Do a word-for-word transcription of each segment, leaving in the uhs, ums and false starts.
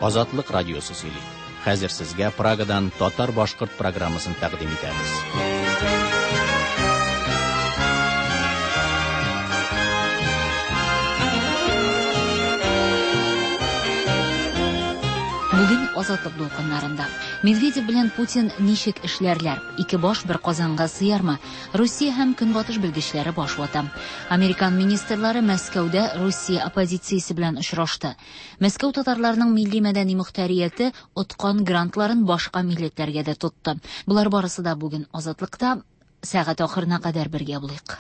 Азатлык радиосы сөйли. Хәзер сезгә Прагадан татар-башкорт программасын тәкъдим итәбез. Бүген Азатлык дулкыннарында. Медведев белән Путин ничек эшләрләр? Ике баш бер казанга сыярмы? Русия һәм Көнбатыш белгечләре баш вата. Американ министрлары Мәскәүдә Русия оппозициясе белән очрашты. Мәскәү татарларының милли мәдәни мөхтәрияте откан грантларын башка милләтләргә дә тотты. Болар барысы да бүген Азатлыкта. Сәгать ахырына кадәр бергә булыйк.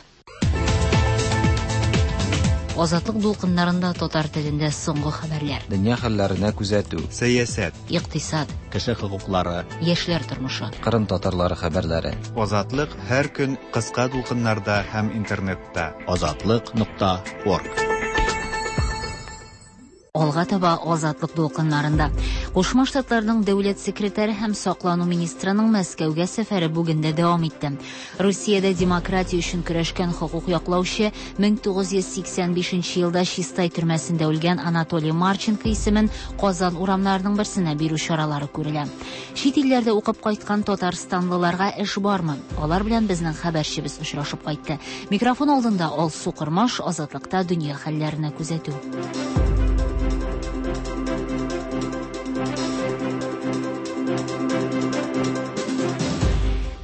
Азатлык дулкыннарында татар телендә соңгы хәбәрләр. Дөнья хәлләренә күзәтү. Сәясәт. Икътисад. Кеше хокуклары. Яшьләр тормышы. Кырым татарлары хәбәрләре. Азатлык һәр көн кыска дулкыннарда һәм интернетта. Азатлык нокта орг. Алга таба Азатлык дулкыннарында. Кушма Штатларның дәүләт секретаре һәм саклану министрының Мәскәүгә сәфәре бүген дә дәвам итте. Русиядә демократия өчен көрәшкән хокук яклаучы мең тугыз йөз сиксән бишенче елда Чистай төрмәсендә үлгән Анатолий Марченко исемен Казан урамнарының берсенә бирү чаралары күрелә. Чит илләрдә укып кайткан татарстанлыларга эш бармы? Алар белән безнең хәбәрчебез очрашып кайтты. Микрофон алдында Алсу Кырмаш, Азатлыкта дөнья хәлләренә күзәтү.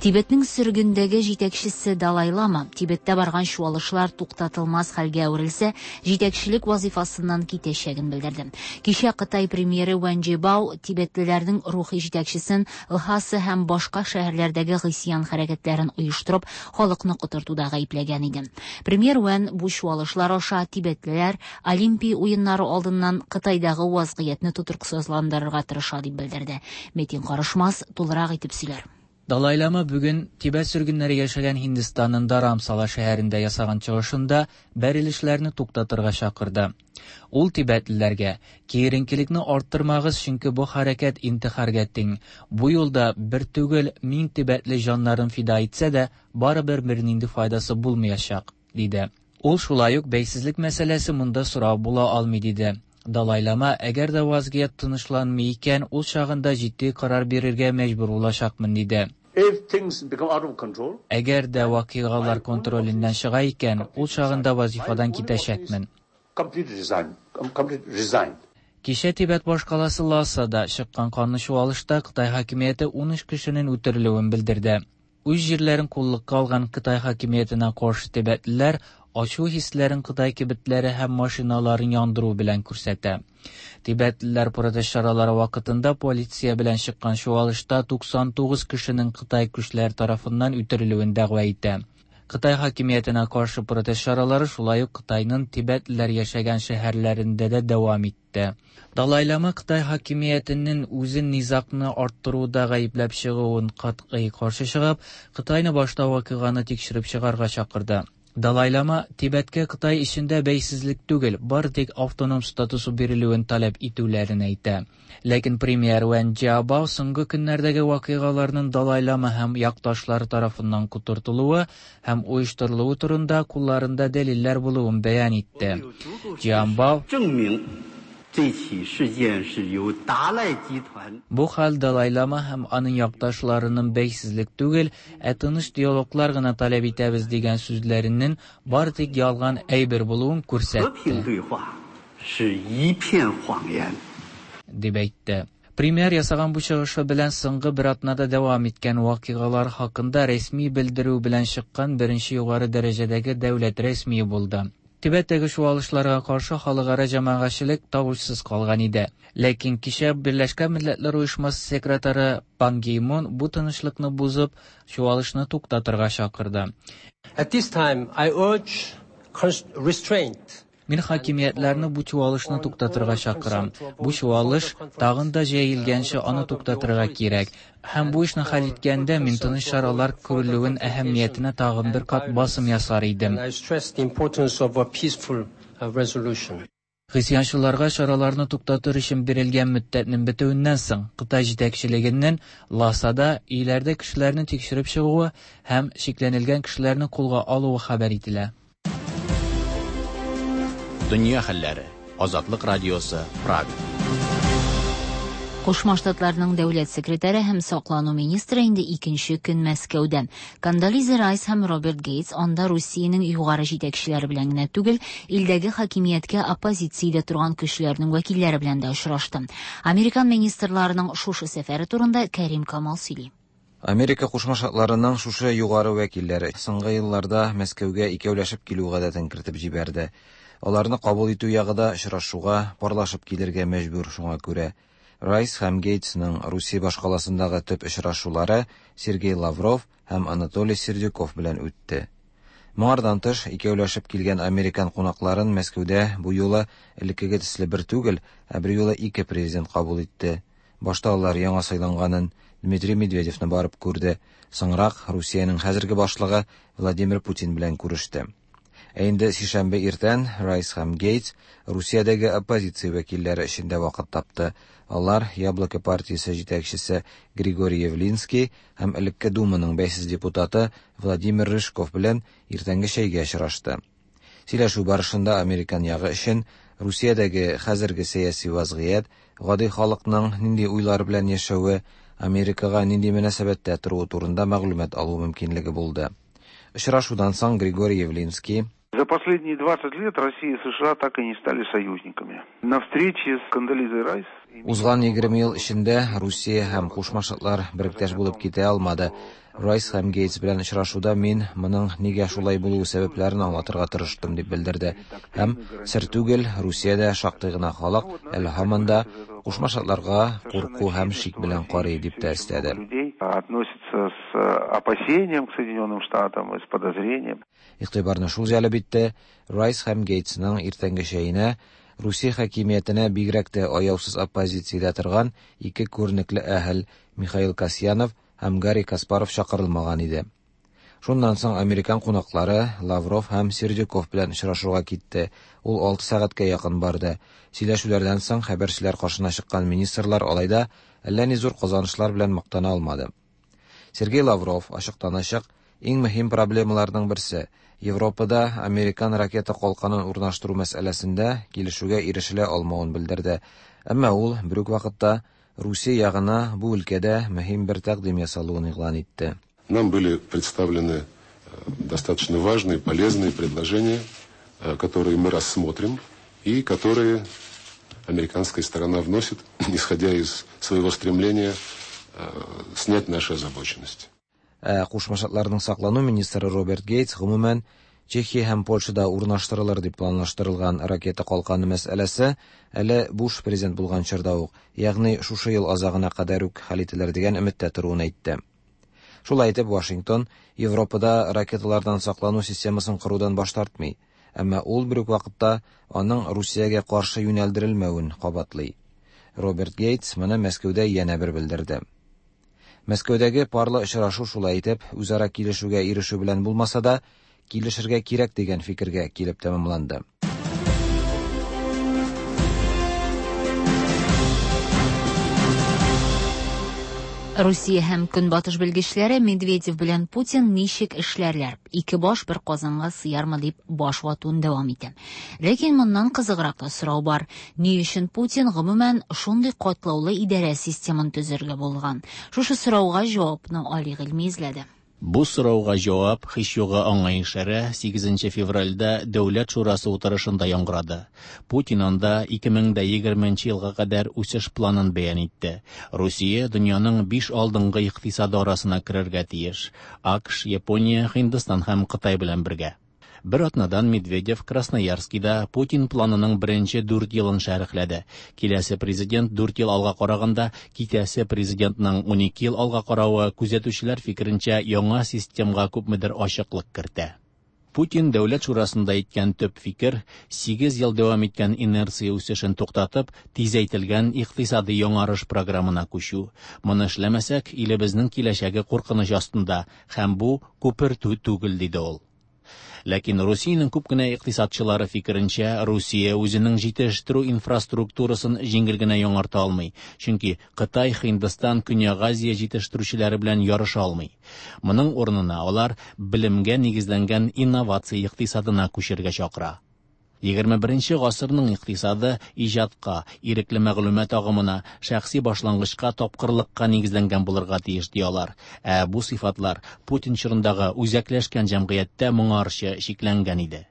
Тибетнең сөргендәге җитәкчесе Далай Лама Тибеттә барган чуалышлар туктатылмас хәлгә әверелсә, җитәкчелек вазифасыннан китәчәген белдерде. Кичә Кытай премьеры Вэн Джибао тибетлеләрнең рухи җитәкчесен Лхаса һәм башка шәһәрләрдәге гыйсьян хәрәкәтләрен оештырып, халыкны котыртуда гаепләгән иде. Премьер Вэн бу чуалышлар аша тибетлеләр Олимпия уеннары алдыннан Кытайдагы вазгыятьне тотрыксызландырырга тырыша дип белдерде. Метин Карышмас тулырак итеп сөйләр. Далай Лама бүген Тибет сөргеннәре яшәгән Һиндстанның Dharamsala шәһәрендә ясаган чыгышында бәрелешләрне туктатырга чакырды. Ул тибетлеләргә: "Киеренкелекне арттырмагыз, чөнки бу хәрәкәт интихарга тиң. Бу юлда бер түгел мең тибетле җаннарын фида итсә дә, барыбер бернинди файдасы булмаячак", диде. Ул шулай ук бәйсезлек мәсьәләсе монда сорау була алмый диде. Далай Лама, әгәр дә вазгыять тынычланмый икән, ул чагында җитди карар бирергә мәҗбүр булачакмын диде. Әгәр дә вакыйгалар контроленнән чыга икән, ул чагында вазифадан китәчәкмен. Кичә Тибет башкаласы Лхасада чыккан канлы чуалышта Кытай хакимияте ун өч кешенең үтерелүен белдерде. Үз җирләрен куллыкка алган Кытай хакимиятенә каршы тибетлеләр ачу хисләрен Кытай кибетләре һәм машиналарын яндыру белән күрсәтә. Тибетлеләр протест чаралары вакытында полиция белән чыккан чуалышта туксан тугыз кешенең Кытай көчләре тарафыннан үтерелүен дәгъва итә. Кытай хакимиятенә каршы протест чаралары шулай ук Кытайның тибетлеләр яшәгән шәһәрләрендә дә дәвам итте. Далай Лама Кытай хакимиятенең үзен низагны арттыруда гаепләп чыгуын катгый каршы чыгып, Кытайны башта вакыйганы тикшереп чыгарга чакырды. Далай Лама Тибеткә Кытай эчендә бәйсезлек түгел, бары тик автоном статусы бирелүен таләп итүләрен әйтә. Ләкин премьер Вэн Джиабао соңгы көннәрдәге вакыйгаларның Далай Лама һәм якташлары тарафыннан котыртылуы һәм оештырылуы турында кулларында дәлилләр булуын бәян итте. Джиабао Бу хәл Далай Лама һәм аның якташларының бәйсезлек түгел, ә тыныч диалоглар гына таләп итәбез дигән сүзләренең бары тик ялган әйбер булуын күрсәтте. Дип әйтте. Премьер ясаган бу чыгышы белән соңгы бер атнада дәвам иткән вакыйгалар хакында рәсми белдерү белән чыккан беренче югары дәрәҗәдәге дәүләт рәсмие булды. Тибеттәге чуалышларга каршы халыкара җәмәгатьчелек тавышсыз калган иде. Ләкин кичә Берләшкән Милләтләр Оешмасы секретаре Пан Ги Мун бу тынычлыкны бозып, чуалышны туктатырга чакырды. At this time, I urge restraint. Мин хакимиятләрне бу чуалышны туктатырга чакырам. Бу чуалыш тагын да җәелгәнче аны туктатырга кирәк. Һәм бу эшне хәл иткәндә мин тыныч чаралар күрелүен әһәмиятенә тагын бер кат басым ясар идем. Гыйсьянчыларга чараларны туктатыр өчен бирелгән мөддәтнең бетүеннән соң Кытай җитәкчелегеннән Лхасада өйләрдә кешеләрне тикшереп чыгуы һәм шикләнелгән кешеләрне кулга алуы хәбәр ителә. Дөнья хәлләре. Азатлык радиосы, Прага. Кушма Штатларның дәүләт секретаре һәм саклану министры инде икенче көн Мәскәүдә. Кондолиза Райс һәм Роберт Гейтс анда Русиянең югары җитәкчеләре белән генә түгел, илдәге хакимияткә оппозициядә торган көчләрнең вәкилләре белән дә очрашты. Американ министрларының шушы сәфәре турында Кәрим Камал сөйли. Америка Кушма Штатларының шушы югары вәкилләре соңгы елларда Мәскәүгә икәүләшеп килү гадәтен кертеп җибәрде. Аларны кабул итү ягы да очрашуга парлашып килергә мәҗбүр, шуңа күрә. Райс һәм Гейтсның Русия башкаласындагы төп очрашулары Сергей Лавров һәм Анатолий Сердюков белән үтте. Моңардан тыш, икәүләшеп килгән американ кунакларын Мәскәүдә бу юлы элеккеге төсле бер түгел, ә бер юлы ике президент кабул итте. Башта алар яңа сайланганын Дмитрий Медведевны барып күрде, соңрак Русиянең хәзерге башлыгы Владимир Путин белән күреште. Ә инде сишәмбе иртән Райс һәм Гейтс Русиядәге оппозиция вәкилләре эчендә вакыт тапты. Алар Яблоко партиясе җитәкчесе Григорий Явлинский һәм элекке Думаның бәйсез депутаты Владимир Рыжков белән иртәнге чәйгә очрашты. Сөйләшү барышында американ ягы өчен Русиядәге хәзерге сәяси вазгыять, гади халыкның нинди уйлар белән яшәве, Америкага нинди мөнәсәбәттә торуы турында мәгълүмат алу мөмкинлеге булды. Очрашудан соң Григорий Явлинский: За последние двадцать лет Россия и США так и не стали союзниками. На встрече с Кондолизой Райс Узган егерме ел эчендә Русия һәм Кушма Штатлар беректәш булып китә алмады. Райс һәм Гейтс белән очрашуда мин моның нигә шулай булуы сәбәпләрен аңлатырга тырыштым, дип белдерде. Һәм сер түгел, Русиядә шактый гына халык әле һаман да Кушма Штатларга курку һәм шик белән карый, дип тә өстәде. Относится с опасением к Соединенным Штатам и с подозрением. Игътибарны шул җәлеп итте, Райс һәм Гейтсның иртәнге чәенә Русия хакимиятенә бигрәк тә аяусыз оппозициядә торган ике күренекле әһел Михаил Касьянов һәм Гарри Каспаров чакырылмаган иде. Шуннан соң американ кунаклары Лавров һәм Сердюков белән очрашуга китте. Ул алты сәгатькә якын барды. Сөйләшүләрдән соң хәбәрчеләр каршына чыккан министрлар алай да әллә ни зур казанышлар белән мактана алмады. Сергей Лавров ачыктан-ачык иң мөһим проблемаларның берсе Европада американ ракета калканын урнаштыру мәсьәләсендә килешүгә ирешелә алмавын белдерде. Әмма ул бер үк вакытта Русия ягына бу өлкәдә мөһим бер тәкъдим ясалуын игълан итте. Нам были представлены достаточно важные, полезные предложения, которые мы рассмотрим и которые американская сторона вносит, исходя из своего стремления снять нашу озабоченность. Ә Кушма Штатларның саклану министры Роберт Гейтс гомумән Чехия һәм Польшада урнаштырылыр дип планлаштырылган ракета калканы мәсьәләсе әле Буш президент булган чорда ук, ягъни шушы ел азагына кадәр үк хәл ителер дигән өметтә торуын әйтте. Шулай итеп, Вашингтон Европада ракеталардан саклану системасын корудан баш тартмый, әмма ул бер үк вакытта аның Русиягә каршы юнәлдерелмәвен кабатлый. Роберт Гейтс моны Мәскәүдә янә бер белдерде. Мәскәүдәге парлы очрашу шулай итеп үзара килешүгә ирешү белән булмаса да, килешергә кирәк дигән фикергә килеп тәмамланды. Русия һәм Көнбатыш белгечләре Медведев белән Путин ничек эшләрләр? Ике баш бер казанга сыярмы дип баш ватуын дәвам итә. Ләкин моннан кызыграк та сорау бар. Ни өчен Путин гомумән шундый катлаулы идарә системын төзергә булган? Шушы сорауга җавапны Али Гыйльми эзләде. Бу сорауга җавап һич югы аңа ишарә сигезенче февральдә Дәүләт шурасы утырышында яңгырады. Путин анда ике мең дә егерменче елга кадәр үсеш планын бәян итте. Русия дөньяның биш алдынгы икътисады арасына керергә тиеш. АКШ, Япония, Һиндстан һәм Кытай белән бергә. Бер атнадан Медведев Красноярскида Путин планының беренче дүрт елын шәрехләде. Киләсе президент дүрт ел алга караганда, китәсе президентның унике ел алга каравы күзәтүчеләр фикеренчә яңа системга күпмедер ачыклык кертә. Путин Дәүләт шурасында әйткән төп фикер сигез ел дәвам иткән инерция үсешен туктатып, тизәйтелгән икътисади яңарыш программына күчү. Моны эшләмәсәк, илебезнең киләчәге куркыныч астында һәм бу күпертү түгел, диде ул. Ләкин Русиянең күп кенә икътисадчылары фикеренчә, Русия үзенең җитештерү инфраструктурасын җиңел генә яңарта алмый, чөнки Кытай, Һиндстан, Көньяк Азия җитештерүчеләре белән ярыша алмый. Моның урынына алар белемгә нигезләнгән инновация икътисадына күчергә чакыра. Егерме беренче гасырның икътисады иҗатка, ирекле мәгълүмат агымына, шәхси башлангычка, тапкырлыкка нигезләнгән булырга тиеш, ди алар. Ә бу сыйфатлар Путин чорындагы үзәкләшкән җәмгыятьтә моңарчы чикләнгән иде.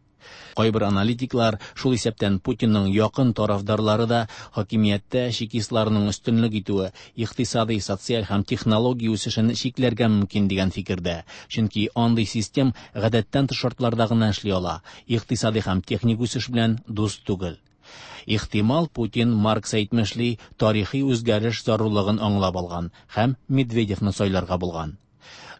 Кайбер аналитиклар, шул исәптән Путинның якын тарафдарлары да, хакимияттә чекистларның өстенлек итүе икътисади, социаль һәм технология үсешен чикләргә мөмкин дигән фикердә. Чөнки андый систем гадәттән тыш шартларда гына эшли ала, икътисади һәм техник үсеш белән дус түгел. Ихтимал, Путин, Маркс әйтмешли, тарихи үзгәреш зарурлыгын аңлап алган һәм Медведевны сайларга булган.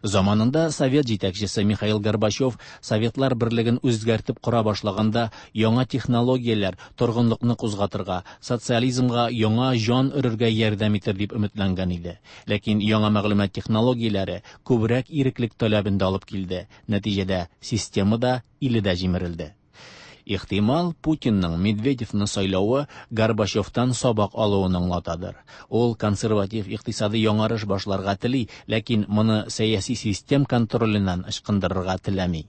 Заманында Совет җитәкчесе Михаил Горбачев Советлар берлеген үзгәртеп кора башлаганда яңа технологияләр торгынлыкны кузгатырга, социализмга яңа җан өрергә ярдәм итер дип өметләнгән иде. Ләкин яңа мәгълүмат технологияләре күбрәк иреклек таләбен дә алып килде. Нәтиҗәдә система да, иле дә җимерелде. Ихтимал, Путинның Медведевны сайлавы Горбачевтан сабак алуын аңлатадыр. Ул консерватив икътисади яңарыш башларга тели, ләкин моны сәяси систем контроленнән ычкындырырга теләми.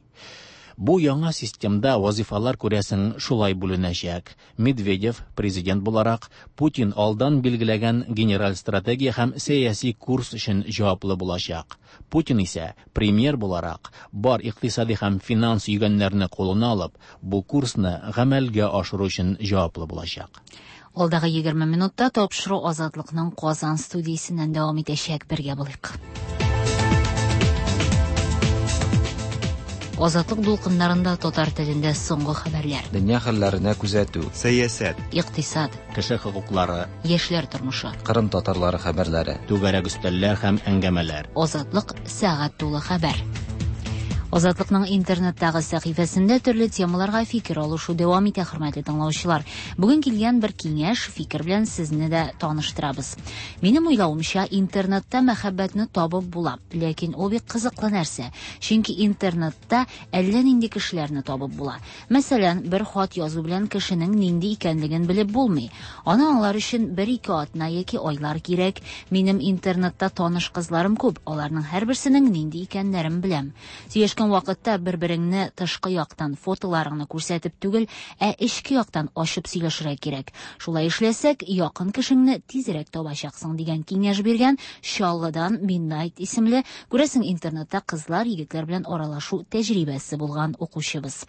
Бу яңа системда вазифалар, күрәсең, шулай бүленәчәк. Медведев президент буларак Путин алдан билгеләгән генераль стратегия һәм сәяси курс өчен җаваплы булачак. Путин исә премьер буларак бар икътисади һәм финанс йөгәннәрне кулына алып, бу курсны гамәлгә ашыру өчен җаваплы булачак. Алдагы егерме минутта тапшыру Азатлыкның Казан студиясеннән дәвам итәчәк. Бергә булыйк. Азатлык дулкыннарында татар телендә соңгы хәбәрләр. Дөнья хәлләренә күзәтү. Сәясәт. Икътисад. Кеше хокуклары. Яшьләр тормышы. Кырым татарлары хәбәрләре. Түгәрәк өстәлләр һәм әңгәмәләр. Азатлык сәгать тулы хәбәр. Азатлыкның интернеттагы сәхифәсендә төрле темаларга фикер алышу дәвам итә, хөрмәтле тыңлаучылар. Бүген килгән бер киңәш, фикер белән сезне дә таныштырабыз. Минем уйлавымча, интернетта мәхәббәтне табып була, ләкин ул бик кызыклы нәрсә. Чөнки интернетта әллә нинди кешеләрне табып була. Мәсәлән, бер хат язу белән кешенең нинди икәнлеген белеп булмый. Аны аңлар өчен бер-ике атна яки айлар кирәк. Минем интернетта таныш кызларым күп, аларның һәрберсенең нинди икәннәрен беләм. Сөйләшкән вакытта бер-береңне тышкы яктан фотоларыңны күрсәтеп түгел, ә эчке яктан ачып сөйләшергә кирәк. Шулай эшләсәк, якын кешеңне тизрәк табачаксың дигән киңәш биргән Чаллыдан Midnight исемле, күрәсең, интернетта кызлар, егетләр белән аралашу тәҗрибәсе булган укучыбыз.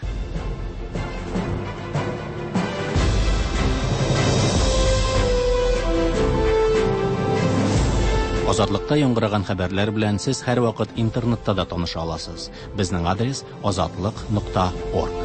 Азатлыкта яңгыраган хәбәрләр белән сез һәрвакыт интернетта да таныша аласыз. Безнең адрес азатлык нокта орг.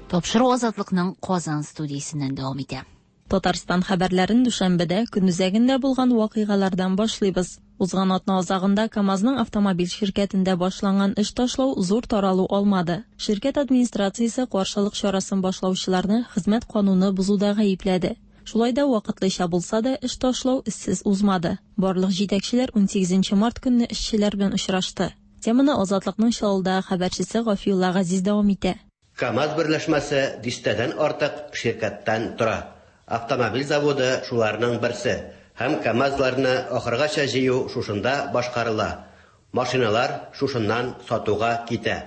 Тапшыру Азатлыкның Казан студиясеннән дәвам итә. Татарстан хәбәрләрен дүшәмбедә көн үзәгендә булган вакыйгалардан башлыйбыз. Узган атна азагында КАМАЗның автомобиль ширкәтендә башланган эш ташлау зур таралу алмады. Ширкәт администрациясе каршылык чарасын башлаучыларны хезмәт кануны бозуда гаепләде. Шулай да вакытлыча булса да эш ташлау эзсез узмады. Барлык җитәкчеләр унсигезенче март көнне эшчеләр белән очрашты. Теманы Азатлыкның Чаллыдагы хәбәрчесе Гафиулла Газиз дәвам итә. КАМАЗ берләшмәсе дистәдән артык ширкәттән тора. Автомобиль заводы шуларның берсе. Һәм КАМАЗларны ахыргача җыю шушында башкарыла. Машиналар шушыннан сатуга китә.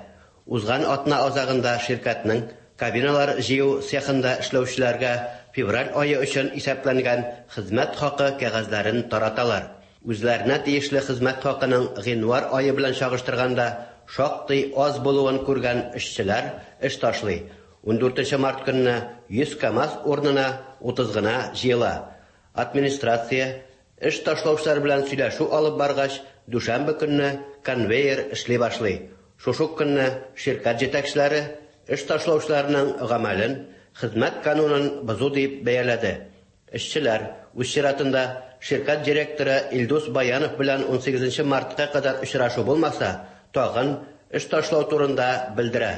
Узган атна азагында ширкәтнең кабиналар җыю цехында эшләүчеләргә февраль ае өчен исәпләнгән хезмәт хакы кәгазьләрен тараталар. Үзләренә тиешле хезмәт хакының гыйнвар ае белән чагыштырганда шактый аз булуын күргән эшчеләр эш ташлый. Ундүртенче март көнне йөз КАМАЗ урынына утыз гына җыела. Администрация эш ташлаучылар белән сөйләшү алып баргач, дүшәмбе көнне конвейер эшли башлый. Шушы көнне ширкәт җитәкчеләре эш ташлаучыларның гамәлен хезмәт канунын бозу дип бәяләде. Эшчеләр үз чиратында ширкәт директоры Илдус Баянов белән унсигезенче мартка кадәр очрашу булмаса, тагын эш ташлау турында белдерә.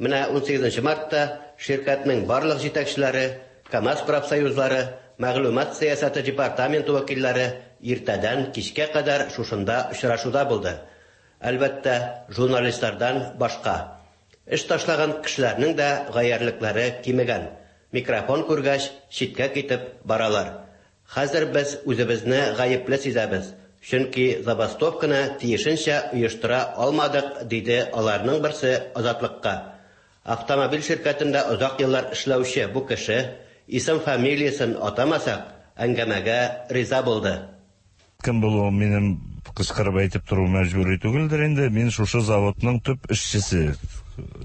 Менә унсигезенче мартта ширкәтнең барлык җитәкчеләре, КАМАЗ профсоюзлары, мәгълүмат сәясәте департаменты вәкилләре иртәдән кичкә кадәр шушында очрашуда булды. Әлбәттә, журналистлардан башка. Эш ташлаган кешеләрнең дә гаярлекләре кимегән. Микрофон күргәч, читкә китеп баралар. Хәзер без үзебезне гаепле сизәбез. Чөнки забастовканы тиешенчә оештыра алмадык, диде аларның берсе Азатлыкка. Автомобиль ширкәтендә озак еллар эшләүче бу кеше, исем-фамилиясен атамасак, әңгәмәгә риза булды. Кем булуым минем кычкырып әйтеп тору мәҗбүри түгелдер инде. Мин шушы заводның төп эшчесе.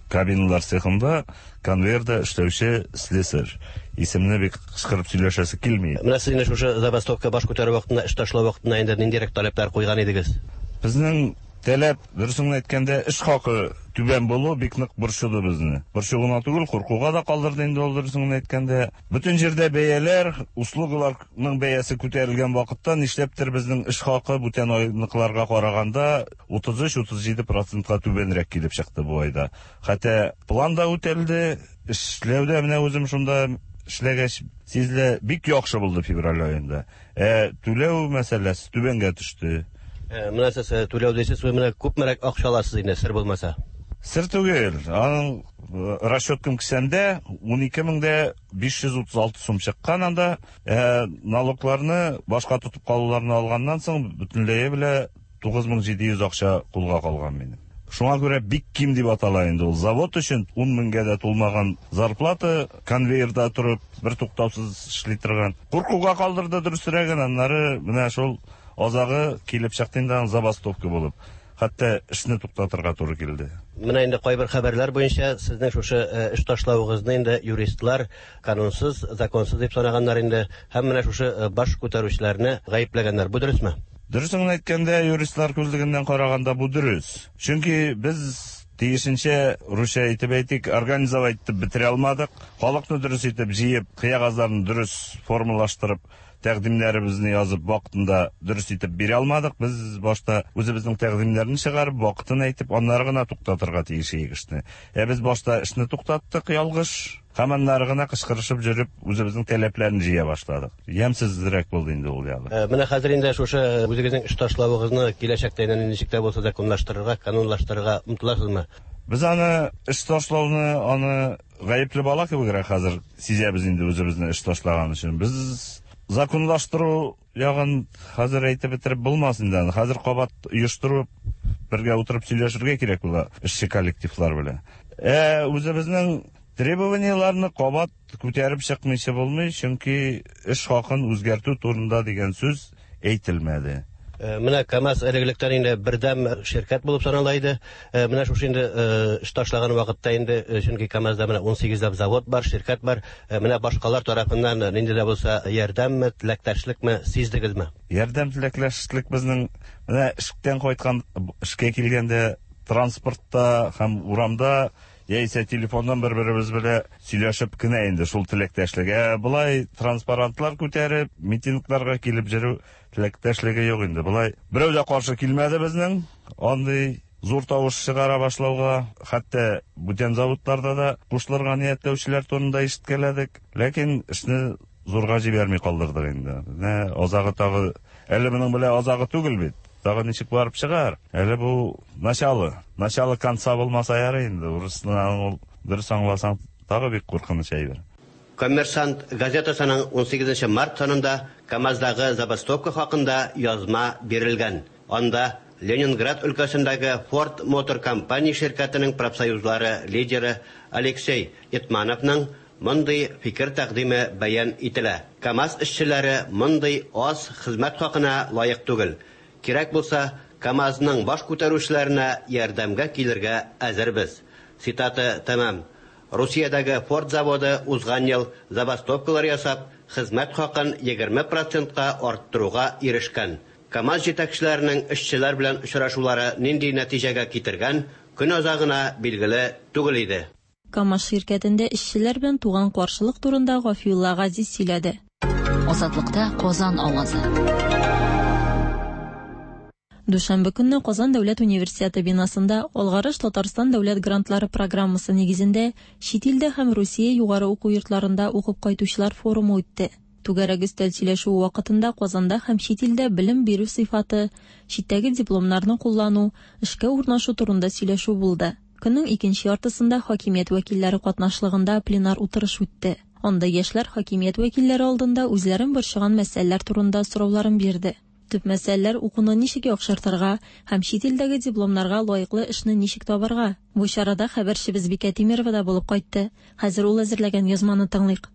Кабиналар цехында конвейерда эшләүче слесарь. Исемне бик кычкырып сөйләшәсе килми. Менә сез инде шушы забастовка баш күтәрү вакытында, эш ташлау вакытында инде ниндирәк таләпләр куйган идегез? Безнең таләп, дөресен әйткәндә, эш хакы түбән булу бик нык борчыды безне. Борчу гына түгел, куркуга да калдырды инде ул, дөресен әйткәндә. Бөтен җирдә бәяләр, услугаларның бәясе күтәрелгән вакытта нишләптер безнең эш хакы бүтән айныкыларга караганда утыз өч-утыз җиде процентка түбәнрәк килеп чыкты бу айда. Хәтта план да үтәлде, эшләүдә менә үзем шунда эшләгәч сизелә, бик яхшы булды февраль аенда. Ә түләү мәсьәләсе түбәнгә төште. Менә сез түләү дисез, менә күпмерәк акча аласыз инде, сер булмаса? Сер түгел. Аның расчеткам кесәмдә ун ике мең дә биш йөз утыз алты сум чыккан анда. Ә налогларны башка тотып калуларны алганнан соң бөтенләе белә тугыз мең җиде йөз акча кулга калган минем. Шуңа күрә бик ким дип атала инде ул. Завод өчен ун меңгә дә тулмаган зарплата, конвейерда торып бер туктаусыз эшли торган. Куркуга калдырды дөресрәген, аннары менә шул азагы килеп чыкты инде аның забастовка булып. Хәтта эшне туктатырга туры килде. Менә инде кайбер хәбәрләр буенча сезнең шушы эш ташлавыгызны инде юристлар канунсыз, законсыз дип санаганнар инде, һәм менә шушы баш күтәрүчеләрне гаепләгәннәр. Бу дөресме? Дөресен әйткәндә, юристлар күзлегеннән караганда бу дөрес. Чөнки без тиешенчә, русча әйтеп әйтик, организовать итеп бетерә алмадык. Халыкны дөрес итеп җыеп, кыягазларны дөрес формалаштырып, тәкъдимнәребезне язып вакытында дөрес итеп бирә алмадык. Без башта үзебезнең тәкъдимнәрне чыгарып, вакытын әйтеп, аннары гына туктатырга тиеш идек эшне. Ә без башта эшне туктаттык ялгыш, һәм аннары гына кычкырышып йөреп, үзебезнең таләпләрне җыя башладык. Ямьсезрәк булды инде ул ягы. Менә хәзер инде шушы үзегезнең эш ташлавыгызны киләчәктә инде ничек тә булса законлаштырырга, канунлаштырырга омтыласызмы? Без аны эш ташлауны, аны гаепле бала кебегрәк хәзер сизәбез инде үзебезне эш ташлаган өчен. Без законлаштыру ягын хәзер әйтеп бетереп булмас инде. Хәзер кабат оештырып, бергә утырып сөйләшергә кирәк була эшче коллективлар белән. Ә үзебезнең требованияләрне кабат күтәреп чыкмыйча булмый, чөнки эш хакын үзгәртү турында дигән сүз әйтелмәде. Менә КАМАЗ элек-электән инде бердәм ширкәт булып санала иде. Менә шушы инде эш ташлаган вакытта инде, чөнки КАМАЗда менә ун сигезләп завод бар, ширкәт бар. Менә башкалар тарафыннан нинди дә булса ярдәмме, теләктәшлекме сиздегезме? Ярдәм, теләктәшлек безнең менә эштән кайткан, эшкә килгәндә транспортта һәм урамда яисә телефоннан бер-беребез белән сөйләшеп кенә инде шул теләктәшлек. Ә болай транспарантлар күтәреп, митингларга килеп йөрү теләктәшлеге юк инде. Болай берәү дә каршы килмәде безнең андый зур тавыш чыгара башлауга, хәтта бүтән заводларда да кушылырга ниятләүчеләр турында ишеткәләдек. Ләкин эшне зурга җибәрми калдырдык инде. Менә азагы тагы, әле моның белән азагы түгел бит. Тагы ничек барып чыгар? Әле бу начало, начало конца булмаса ярый инде. Урысны ул дөрес аңласаң тагы бик куркыныч әйбер. Коммерсант газетасының ун сигезенче март санында КАМАЗдагы забастовка хакында язма бирелгән. Анда Ленинград өлкәсендәге Ford Motor Company ширкәтенең профсоюзлары лидеры Алексей Итмановның мондый фикер тәкъдиме бәян ителә. КАМАЗ эшчеләре мондый аз хезмәт хакына лаек түгел. Кирәк булса, КАМАЗның баш күтәрүчеләренә ярдәмгә килергә әзербез. Цитата тәмам. Русиядәге Ford заводы узган ел забастовкалар ясап, хезмәт хакын егерме процентка арттыруга ирешкән. КАМАЗ җитәкчеләренең эшчеләр белән очрашулары нинди нәтиҗәгә китергән, көн азагына билгеле түгел иде. КАМАЗ ширкәтендә эшчеләр белән туган каршылык турында Гафиулла Газиз сөйләде. Азатлыкта Казан авазы. Дүшәмбе көнне Казан дәүләт университеты бинасында Алгарыш Татарстан дәүләт грантлары программасы нигезендә чит илдә һәм Русия югары уку йортларында укып кайтучылар форумы үтте. Түгәрәк өстәл сөйләшүе вакытында Казанда һәм чит илдә белем бирү сыйфаты, читтәге дипломнарны куллану, эшкә урнашу турында сөйләшү булды. Көннең икенче яртысында хакимият вәкилләре катнашлыгында пленар утырыш үтте. Анда яшьләр хакимият вәкилләре алдында үзләрен борчыган мәсьәләләр турында сорауларын бирде. Төп мәсьәләләр укуны ничек яхшыртырга һәм чит илдәге дипломнарга лаеклы эшне ничек табарга. Бу чарада хәбәрчебез Бикә Тимерова да булып кайтты. Хәзер ул әзерләгән язманы тыңлыйк.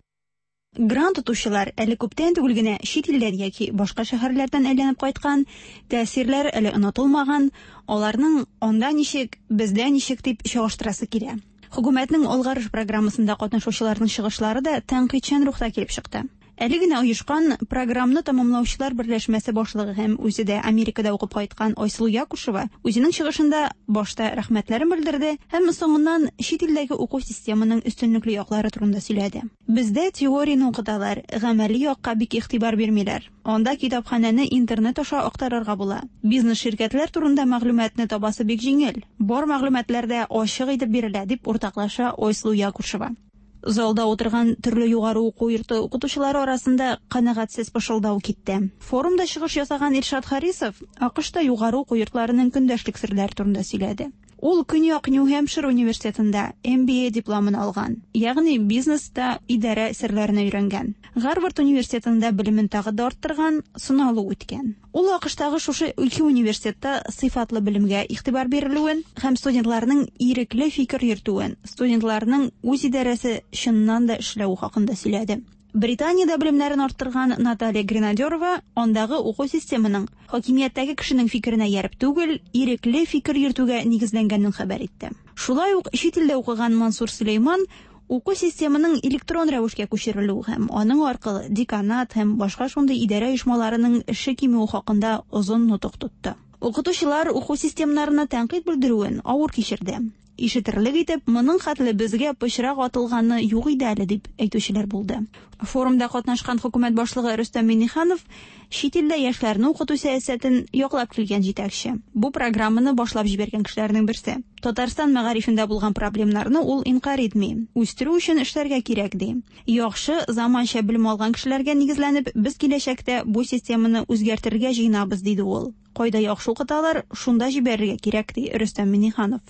Грант отучылар әле күптән түгел генә чит илдән яки башка шәһәрләрдән әйләнеп кайткан, тәэсирләр әле онытылмаган, аларның анда ничек, бездә ничек дип чагыштырасы килә. Хөкүмәтнең Алгарыш программасында катнашучыларның чыгышлары да тәнкыйтьчән рухта килеп чыкты. Әле генә оешкан програмны тәмамлаучылар берләшмәсе башлыгы һәм үзе дә Америкада укып кайткан Айсылу Якушева үзенең чыгышында башта рәхмәтләрен белдерде һәм соңыннан чит илдәге уку системының өстенлекле яклары турында сөйләде. Бездә теорияне укыталар, гамәли якка бик игътибар бирмиләр. Анда китапханәне интернет аша актарырга була. Бизнес ширкәтләр турында мәгълүматны табасы бик җиңел. Бар мәгълүматлар да ачык итеп бирелә, дип уртаклаша Айсылу Якушева. Залда утырган төрле югары уку йорты укытучылары арасында канәгатьсез пышылдау китте. Форумда чыгыш ясаган Илшат Харисов АКШта югары уку йортларының көндәшлек серләре турында сөйләде. Ул Көньяк Нью-Хэмпшир университетында М Б А дипломын алган, ягъни бизнеста идарә серләрен өйрәнгән. Гарвард университетында белемен тагы да арттырган, сыналу үткән. Ул АКШтагы шушы ике университетта сыйфатлы белемгә игътибар бирелүен һәм студентларның ирекле фикер йөртүен, студентларның үз идарәсе чыннан да эшләве хакында сөйләде. Британиядә белемнәрен арттырган Наталья Гренадерова андагы уку системының хакимияттәге кешенең фикеренә ярып түгел, ирекле фикер йөртүгә нигезләнгәнен хәбәр итте. Шулай ук чит илдә укыган Мансур Сөләйман уку системының электрон рәвешкә күчерелүе һәм аның аркылы деканат һәм башка шундый идарә оешмаларының эше кимүе хакында озын нотык тотты. Укытучылар уку системнарына тәнкыйть белдерүен авыр кичерде. Ишетерлек итеп, моның хәтле безгә пычрак атылганы юк иде әле дип әйтүчеләр булды. Форумда катнашкан хөкүмәт башлыгы Рөстәм Миңнеханов чит илдә яшьләрне укыту сәясәтен яклап килгән җитәкче. Бу программаны башлап җибәргән кешеләрнең берсе. Татарстан мәгарифендә булган проблемнарны ул инкарь итми. Үстерү өчен эшләргә кирәк ди. Яхшы заманча белем алган кешеләргә нигезләнеп, без киләчәктә бу системаны үзгәртергә җыенабыз, диде ул. Кайда яхшы укыталар, шунда җибәрергә кирәк, ди Рөстәм Миңнеханов.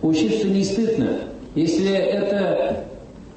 Учиться не стыдно. Если это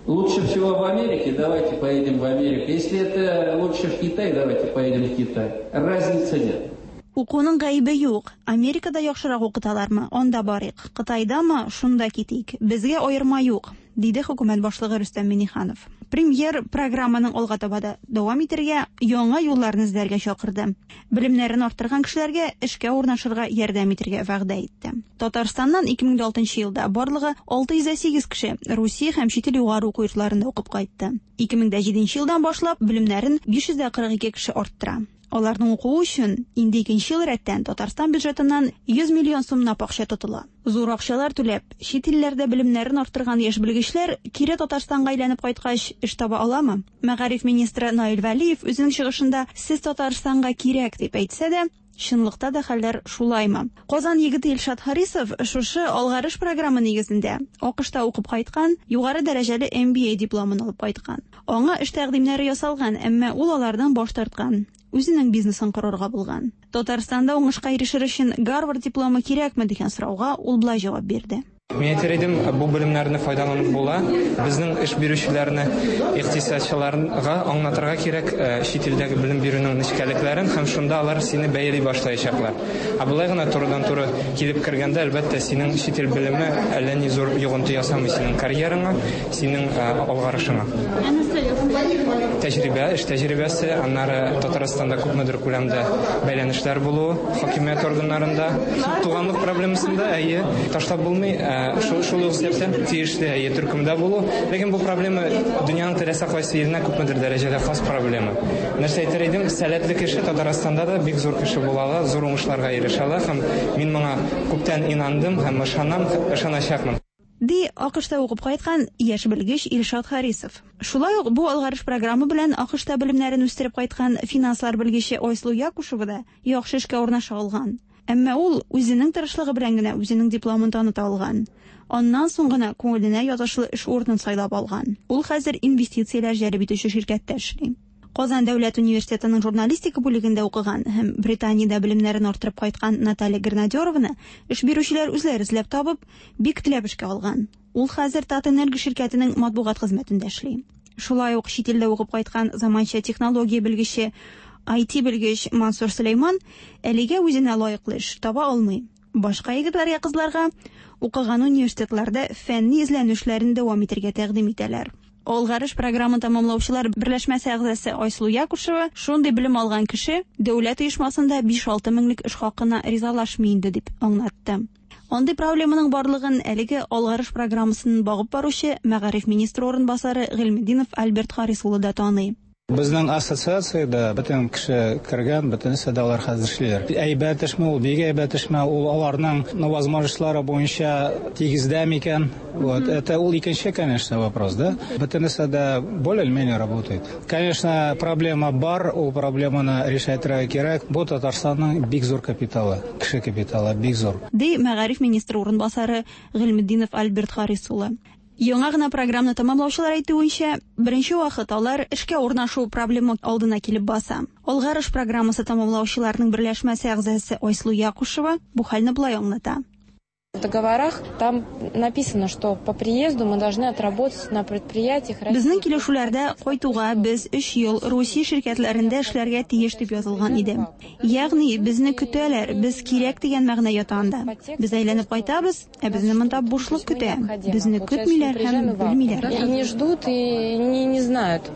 лучше всего в Америке, давайте поедем в Америку. Если это лучше в Китай, давайте поедем в Китай. Разницы нет. Укуның гаебе юк. Америкада яхшырак укыталармы? Анда барыйк. Кытайдамы? Шунда китик. Безгә аерма юк, диде хөкүмәт башлыгы Рөстәм Миңнеханов. Премьер программаның алга таба да дәвам итәргә, яңа юлларны эзләргә чакырды. Белемнәрен арттырган кешеләргә эшкә урнашырга ярдәм итәргә вәгъдә итте. Татарстаннан ике мең алтынчы елда барлыгы алты йөз сигез кеше Русия һәм чит ил югары уку йортларында укып кайтты. ике мең җиденче елдан башлап белемнәрен биш йөз кырык ике кеше арттыра. Аларның укуы өчен инде икенче ел рәттән Татарстан бюджетыннан йөз миллион сумлап акча тотыла. Зур акчалар түләп, чит илләрдә белемнәрен арттырган яшь белгечләр кире Татарстанга әйләнеп кайткач эш таба аламы? Мәгариф министры Наил Вәлиев үзенең чыгышында сез Татарстанга кирәк дип әйтсә дә, чынлыкта да хәлләр шулаймы? Казан егете Илшат Харисов шушы Алгарыш программы нигезендә АКШта укып кайткан, югары дәрәҗәле М Б А дипломын алып кайткан. Аңа эш тәкъдимнәре ясалган, әмма ул алардан баш тарткан. Үзенең бизнесын корырга булган. Татарстанда уңышка ирешер өчен Гарвард дипломы кирәкме дигән сорауга ул болай җавап бирде. Мин әйтер идем, бу белемнәрне файдаланып була. Безнең эш бирүчеләрне, икътисадчыларга аңлатырга кирәк, э, чит илдәге белем бирүнең нечкәлекләрен һәм шунда алар сине бәяли башлаячаклар. Ә болай гына турыдан-туры килеп кергәндә, әлбәттә, синең чит ил белеме әллә ни зур йогынты ясамый синең карьераңа, синең, э, алгарышыңа. Тәҗрибә, эш тәҗрибәсе, аннары Татарстанда күпмедер күләмдә бәйләнешләр булуы хакимият органнарында, туганлык проблемасында, әйе, ташлап булмый, э, шул, шул ук сәбәптән тиешле, әйе, төркемдә булу. Ләкин бу проблема дөньяның теләсә кайсы иленә күпмедер дәрәҗәдә хас проблема. Нәрсә әйтер идем, сәләтле кеше Татарстанда да бик зур кеше була ала, зур уңышларга ирешә ала һәм мин моңа күптән инандым һәм ышанам, ышаначакмын. Ди АКШта укып кайткан яшь белгеч Илшат Харисов. Шулай ук бу Алгарыш программы белән АКШта белемнәрен үстереп кайткан финанслар белгече Айсылу Якушева да яхшы эшкә урнаша алган. Әмма ул үзенең тырышлыгы белән генә үзенең дипломын таныта алган. Аннан соң гына күңеленә ятышлы эш урынын сайлап алган. Ул хәзер инвестицияләр җәлеп итүче ширкәттә эшли. Казан дәүләт университетының журналистика бүлегендә укыган һәм Британиядә белемнәрен арттырып кайткан Наталья Гренадерованы эш бирүчеләр үзләре эзләп табып, бик теләп эшкә алган. Ул хәзер Татэнерго ширкәтенең матбугат хезмәтендә эшли. Шулай ук чит илдә укып кайткан заманча технология белгече I T белгеч Мансур Сөләйман әлегә үзенә лаеклы эш таба алмый. Башка егетләргә, кызларга укыган университетларда фәнни эзләнүләрен дәвам итәргә тәкъдим итәләр. Алгарыш програмын тәмамлаучылар берләшмәсе әгъзасы Айсылу Якушева шундый белем алган кеше дәүләт оешмасында биш-алты меңлек эш хакына ризалашмый инде дип аңлатты. Андый проблеманың барлыгын әлеге Алгарыш программасын багып баручы мәгариф министры урынбасары Гыйльметдинов Альберт Харис улы да таный. Безнең ассоциациядә бөтен кеше кергән, бөтенесе дә алар хәзер эшлиләр. Әйбәт эшме ул, бик әйбәт эшме ул, аларның, ну, возможностьлары буенча тигездә микән? Вот, это ул икенче, конечно, вопрос, да? Бөтенесе дә более-менее работает. Конечно, проблема бар, ул проблеманы решать кирәк. Бу Татарстанның бик зур капиталы, кеше капиталы бик зур. Ди мәгариф министры урынбасары Гыйльметдинов Альберт Харис улы. Яңа гына программаны тәмамлаучылар әйтүенчә, беренче вакыт алар эшкә урнашу проблема алдына килеп баса. Алгарыш программасы тәмамлаучыларның берләшмәсе әгъзасы Айсылу Якушева бу хәлне болай аңлата. В договорах там написано, что по приезду мы должны отработать на предприятиях. Безнең килешүләрдә кайтуга без өч ел Русия ширкәтләрендә эшләргә тиеш дип язылган иде. Ягъни безне көтәләр, без кирәк дигән мәгънә ята анда. Без әйләнеп кайтабыз, ә безне монда бушлык көтә. Безне көтмиләр һәм белмиләр. И не ждут, и не, не знают.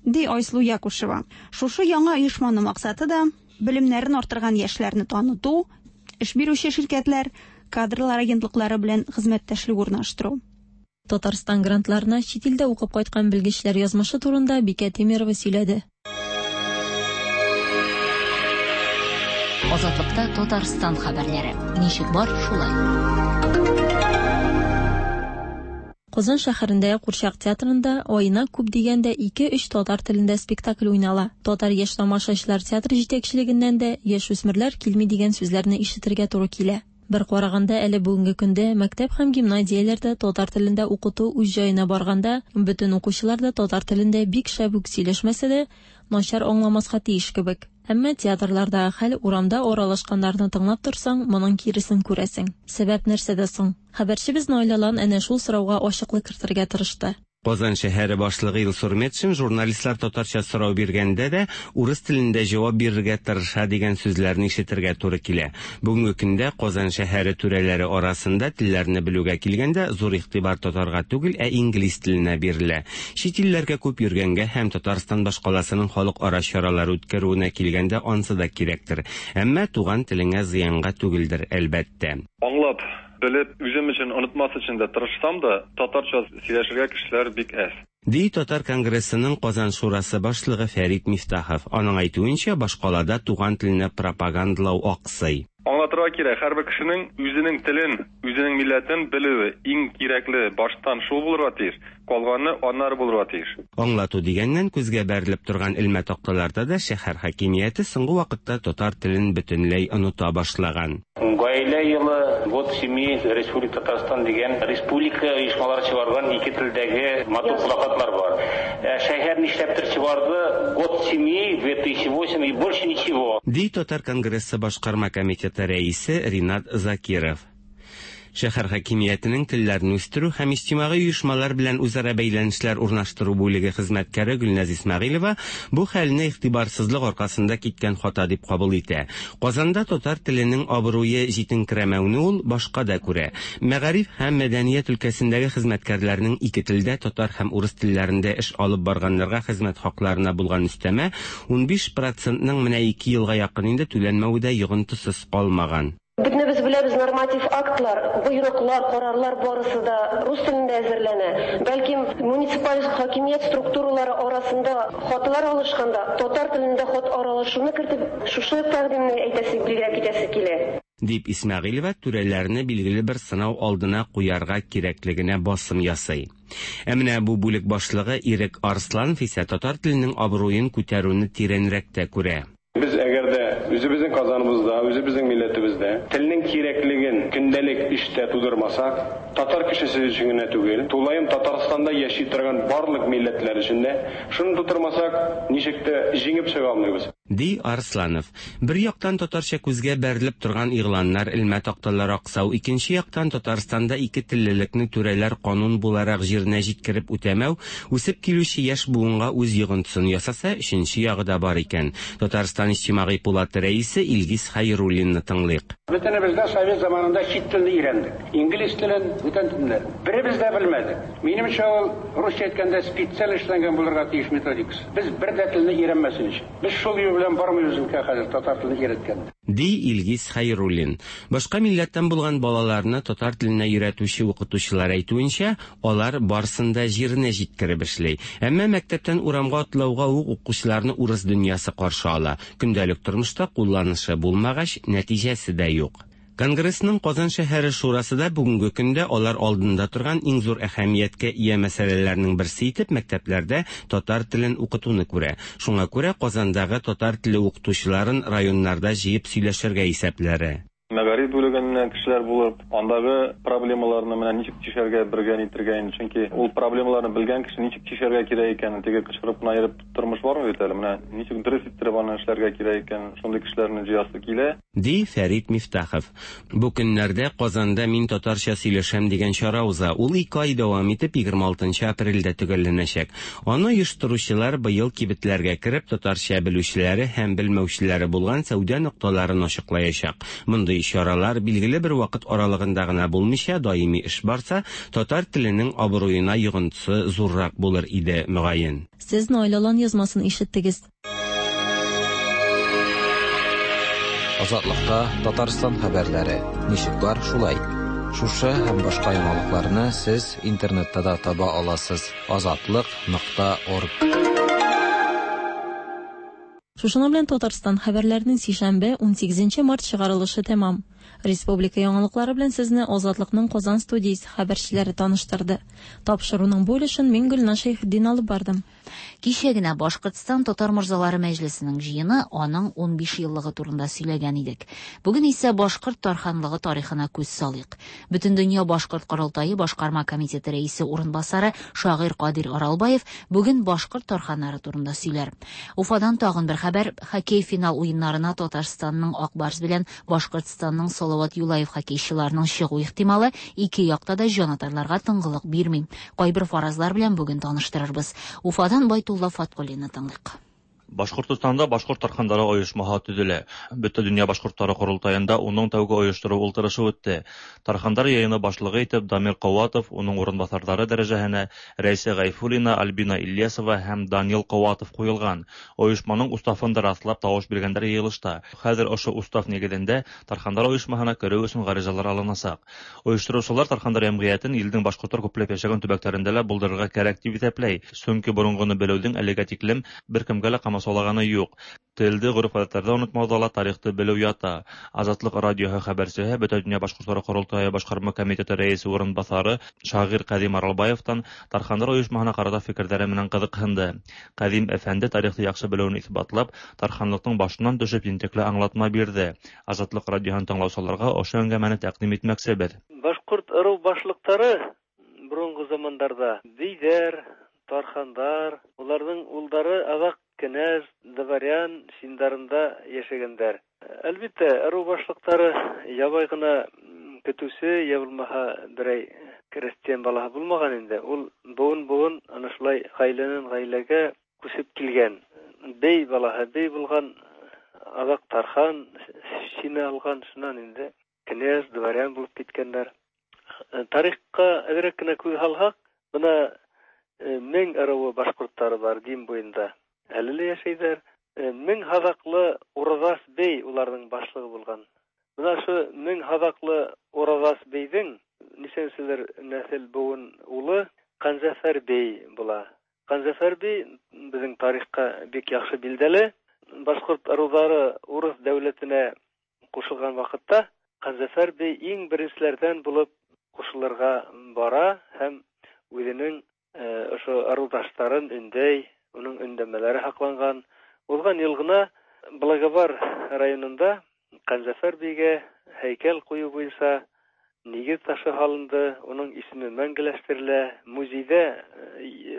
Ди Айсылу Якушева. Шушы яңа оешманың максаты да белемнәрен арттырган яшьләрне таныту, эш бирүче ширкәтләр, кадрлар агентлыклары белән хезмәттәшлек урнаштыру. Татарстан грантларына чит илдә укып кайткан белгечләр язмышы турында Бикә Тимирова сөйләде. Азатлыкта Татарстан хәбәрләре. Ничек бар, шулай. Казан шәһәрендәге Курчак театрында аена күп дигәндә ике-өч татар телендә спектакль уйнала. Татар яшь тамашачылар театры җитәкчелегеннән дә яшүсмерләр килми дигән сүзләрне ишетергә туры килә. Бер караганда, әле бүгенге көндә мәктәп һәм гимназияләрдә татар телендә укыту үз җаена барганда, бөтен укучылар да татар телендә бик шәп үк сөйләшмәсә дә, начар аңламаска тиеш кебек. Әмма театрлардагы хәл, урамда аралашканнарны тыңлап торсаң, моның киресен күрәсең. Сәбәп нәрсәдә соң? Хәбәрчебез Наил Алан әнә шул сорауга ачыклык кертергә тырышты. Казан шәһәре башлыгы Илсур Метшин журналистлар татарча сорау биргәндә дә урыс телендә җавап бирергә тырыша дигән сүзләрне ишетергә туры килә. Бүгенге көндә Казан шәһәре түрәләре арасында телләрне белүгә килгәндә зур игътибар татарга түгел, ә инглиз теленә бирелә. Чит илләргә күп йөргәнгә һәм Татарстан башкаласының халыкара чаралар үткәрүенә килгәндә ансы да кирәктер. Әмма туган телеңә зыянга түгелдер, әлбәттә. Аңлап, белеп, үзем өчен онытмас өчен дә тырышсам да, татарча сөйләшергә кешеләр бик әз. Ди Татар конгрессының Казан шурасы башлыгы Фәрит Мифтахов. Аның әйтүенчә, башкалада туган телене пропагандалау аксый. Аңлатырга кирәк, һәрбер кешенең үзенең телен, үзенең милләтен белүе иң кирәкле, баштан шул булырга тиеш, калганы аннары булырга тиеш. Аңлату дигәннән, күзгә бәрелеп торган элмә такталарда да шәһәр хакимияте соңгы вакытта татар телен бөтенләй оныта башлаган. Гаилә елы, год семьи Республика Татарстан дигән республика оешмалары чыгарган ике телдәге матур плакатлар бар. Ә шәһәр нишләптер чыгарды год семьи две тысячи восемь и больше ничего. Ди Татар конгрессы башкарма комитеты рәисе Ринат Закиров. Шәһәр хакимиятенең телләрне үстерү һәм иҗтимагый оешмалар белән үзара бәйләнешләр урнаштыру бүлеге хезмәткәре Гөлназ Исмәгыйлева бу хәлне игътибарсызлык аркасында киткән хата дип кабул итә. Казанда татар теленең абруе җитенкерәмәүне ул башка да күрә. Мәгариф һәм мәдәният өлкәсендәге хезмәткәрләрнең ике телдә, татар һәм урыс телләрендә эш алып барганнарга хезмәт хакларына булган өстәмә унбиш процентның менә ике елга якын инде түләнмәве дә йогынтысыз калмаган. Бөтенебез беләбез, норматив актлар, боерыклар, карарлар барысы да рус телендә әзерләнә. Бәлкем, муниципаль хакимият структуралары арасында хатлар алышканда татар телендә хат аралашуны кертеп, шушы тәкъдимне әйтәсе, билгеләп китәсе килә. Дип Исмәгыйлева түрәләрне билгеле бер сынау алдына куярга кирәклегенә басым ясый. Ә менә бу бүлек башлыгы Ирек Арсланов исә татар теленең абруен күтәрүне тирәнрәк тә күрә. Без әгәр дә үзебезнең Казаныбызда, үзебезнең милләтебездә телнең кирәклеген көндәлек эштә тудырмасак, татар кешесе өчен генә түгел, тулаем Татарстанда яши торган барлык милләтләр өчен дә шуны тудырмасак, ничек тә җиңеп чыга алмыйбыз. Ди Арсланов. Бер яктан татарча күзгә бәрелеп торган игъланнар, элмә такталар аксау, икенче яктан Татарстанда ике теллелекне түрәләр канун буларак җиренә җиткереп үтәмәү, үсеп килүче яшь буынга үз йогынтысын ясаса, өченче ягы да бар икән. Татарстан Иҗтимагый пулаты рәисе Илгиз Хәйруллинны тыңлыйк. Бөтенебез дә совет заманында чит телне өйрәндек. Инглиз телен, бүтән телләр. Беребез дә белмәдек. Минемчә, ул русча әйткәндә специаль эшләнгән булырга тиеш методикасы. Без бер дә телне өйрәнмәсен өчен. Без шул юл белән бармыйбыз микән хәзер татар телен өйрәткәндә. Ди Илгиз Хәйруллин. Башка милләттән булган балаларны татар теленә өйрәтүче укытучылар әйтүенчә, алар барсын да җиренә җиткереп эшли. Әмма мәктәптән урамга атлауга ук укучыларны урыс дөньясы каршы ала. Көндәлек тормышта кулланышы булмагач, нәтиҗәсе дә юк. Конгрессның Казан шәһәре шурасы да бүгенге көндә алар алдында торган иң зур әһәмияткә ия мәсьәләләрнең берсе итеп мәктәпләрдә татар телен укытуны күрә. Шуңа күрә Казандагы татар теле укытучыларын районнарда җыеп сөйләшергә исәпләре. Мәгариф бүлегеннән кешеләр булып, андагы проблемаларны менә ничек чишәргә бергә нитергә инде, чөнки ул проблемаларны белгән кеше ничек чишәргә кирәк икәнен, теге кычкырып кына йөреп тормыш бармы бит әле, менә ничек дөрес иттереп аны эшләргә кирәк икән, шундый кешеләрне җыясы килә. Ди Фәрит Мифтахов. Бу көннәрдә Казанда Мин татарча сөйләшәм дигән чара уза. Ул ике ай дәвам итеп егерме алтынчы апрельдә төгәлләнәчәк. Аны оештыручылар быел кибетләргә кереп татарча белүчеләре һәм белмәүчеләре булган сәүдә нокталарын ачыклаячак. Мондый чаралар билгеле бер вакыт аралыгында гына булмыйча даими эш барса, татар теленең абруена йогынтысы зуррак булыр иде, мөгаен. Сез Наил Алан язмасын ишеттегез. Азатлыкта Татарстан хәбәрләре. Ничек бар, шулай. Шушы һәм башка яңалыкларны сез интернетта да таба аласыз. азатлык нокта орг. Шушының белән Татарстан хәбәрләренең сишәмбе унсигезенче март чыгарылышы тәмам. Республика яңалыклары белән сезне Азатлыкның Казан студиясе хәбәрчеләре таныштырды. Тапшыруның бу өлешен мин Гөлназ Шәйхетдин алып бардым. Кичә генә Башкортстан Татар морзалары мәҗлесенең җыены аның унбиш еллыгы турында сөйләгән идек. Бүген исә Башкорт тарханлыгы тарихына күз салыйк. Бөтендөнья Башкорт корылтае башкарма комитеты рәисе урынбасары шагыйрь Кадир Аралбаев бүген башкорт тарханнары турында сөйләр. Уфадан тагын бер хәбәр: хоккей финал уеннарына Татарстанның Ак Барс белән Башкортстанның Салават Юлаев хоккейчыларының чыгу ихтималы ике якта да җанатарларга тынгылык бирми. Кайбер фаразлар белән бүген таныштырырбыз. Уфадан Байтулла Фаткуллинны тыңлыйк. Башкортостанда башкорт тархандары оешмаһы төзелә. Бөтен дөнья башкортлары корылтаенда уның тәүге оештыру ултырышы үтте. Тархандар йыйыны башлыгы итеп Дамир Ҡыуатов, уның урынбаҫарҙары дәрәжәһенә Рәйсә Ғәйфуллина, Альбина Ильясова һәм Данил Ҡыуатов ҡуйылған. Ойошманың уставын да раҫлап тауыш биргәндәр йыйылышта. Хәҙер ошо устав нигеҙендә Тархандар ойошмаһына кереү өсөн ғаризалар алынасаҡ. Ойоштороусылар Тархандар йәмғиәтен илдең башҡорттар күпләп йәшәгән төбәктәрендә лә булдырырға кәрәк тип иҫәпләй. Сөнки боронғоно белеүҙең әлегә тиклем бер кемгә лә ҡамасаулағаны юҡ. Телде, ғөрөф-ғәҙәттәрҙе онотмауҙа ла тарихты белеү ята. Азатлыҡ радиоһы хәбәрсеһе Бөтә донъя башҡорттары ҡоролтайы башҡарма комитеты рәйесе урынбаҫары шағир Ҡәҙим Аралбаевтан Тархандар ойошмаһына ҡарата фекерҙәре менән ҡыҙыҡһынды. Ҡәҙим әфәнде тарихты яҡшы белеүен иҫбатлап, тарханлыҡтың башынан төшөп ентекле аңлатма бирҙе. Азатлыҡ радиоһын тыңлаусыларға ошо әңгәмәне тәҡдим итмәксебеҙ. Башҡорт ырыу башлыҡтары боронғо замандарҙа бейҙәр, тархандар, уларҙың улдары аҙаҡ кенәз, дворян синдарында йәшәгәндәр. Әлбиттә, ырыу башлыҡтары ябай ғына көтөүсе, йә булмаһа берәй крестьян балаһы булмаған инде. Ул быуын-быуын ана шулай ғаиләнән ғаиләгә күсеп килгән. Бей балаһы бей булған, аҙаҡ тархан сине алған, шунан инде кенәз, дворян булып киткәндәр. Тарихҡа әҙерәк кенә күҙ һалһаҡ, бына мең ырыуы башҡорттары бар Дим буйында. Әле лә йәшәйҙәр. Мең һаҙаҡлы Ураҙас бей уларҙың башлығы булған. Бына ошо мең һаҙаҡлы Ураҙас бейҙең нисәнселер нәҫел быуын улы Ҡанзәфәр бей була. Ҡанзәфәр бей беҙҙең тарихҡа бик яҡшы билдәле. Башҡорт ырыуҙары урыҫ дәүләтенә ҡушылған ваҡытта Ҡанзәфәр бей иң беренселәрҙән булып ҡушылырға бара һәм үҙенең ошо ырыуҙаштарын өндәй, уның өндәмәләре һаҡланған. Уҙған йыл ғына Благовар районында Ҡанзәфәр бейгә һәйкәл ҡуйыу буйынса нигеҙ ташы һалынды, уның исеме мәңгеләштерелә. Музейҙә,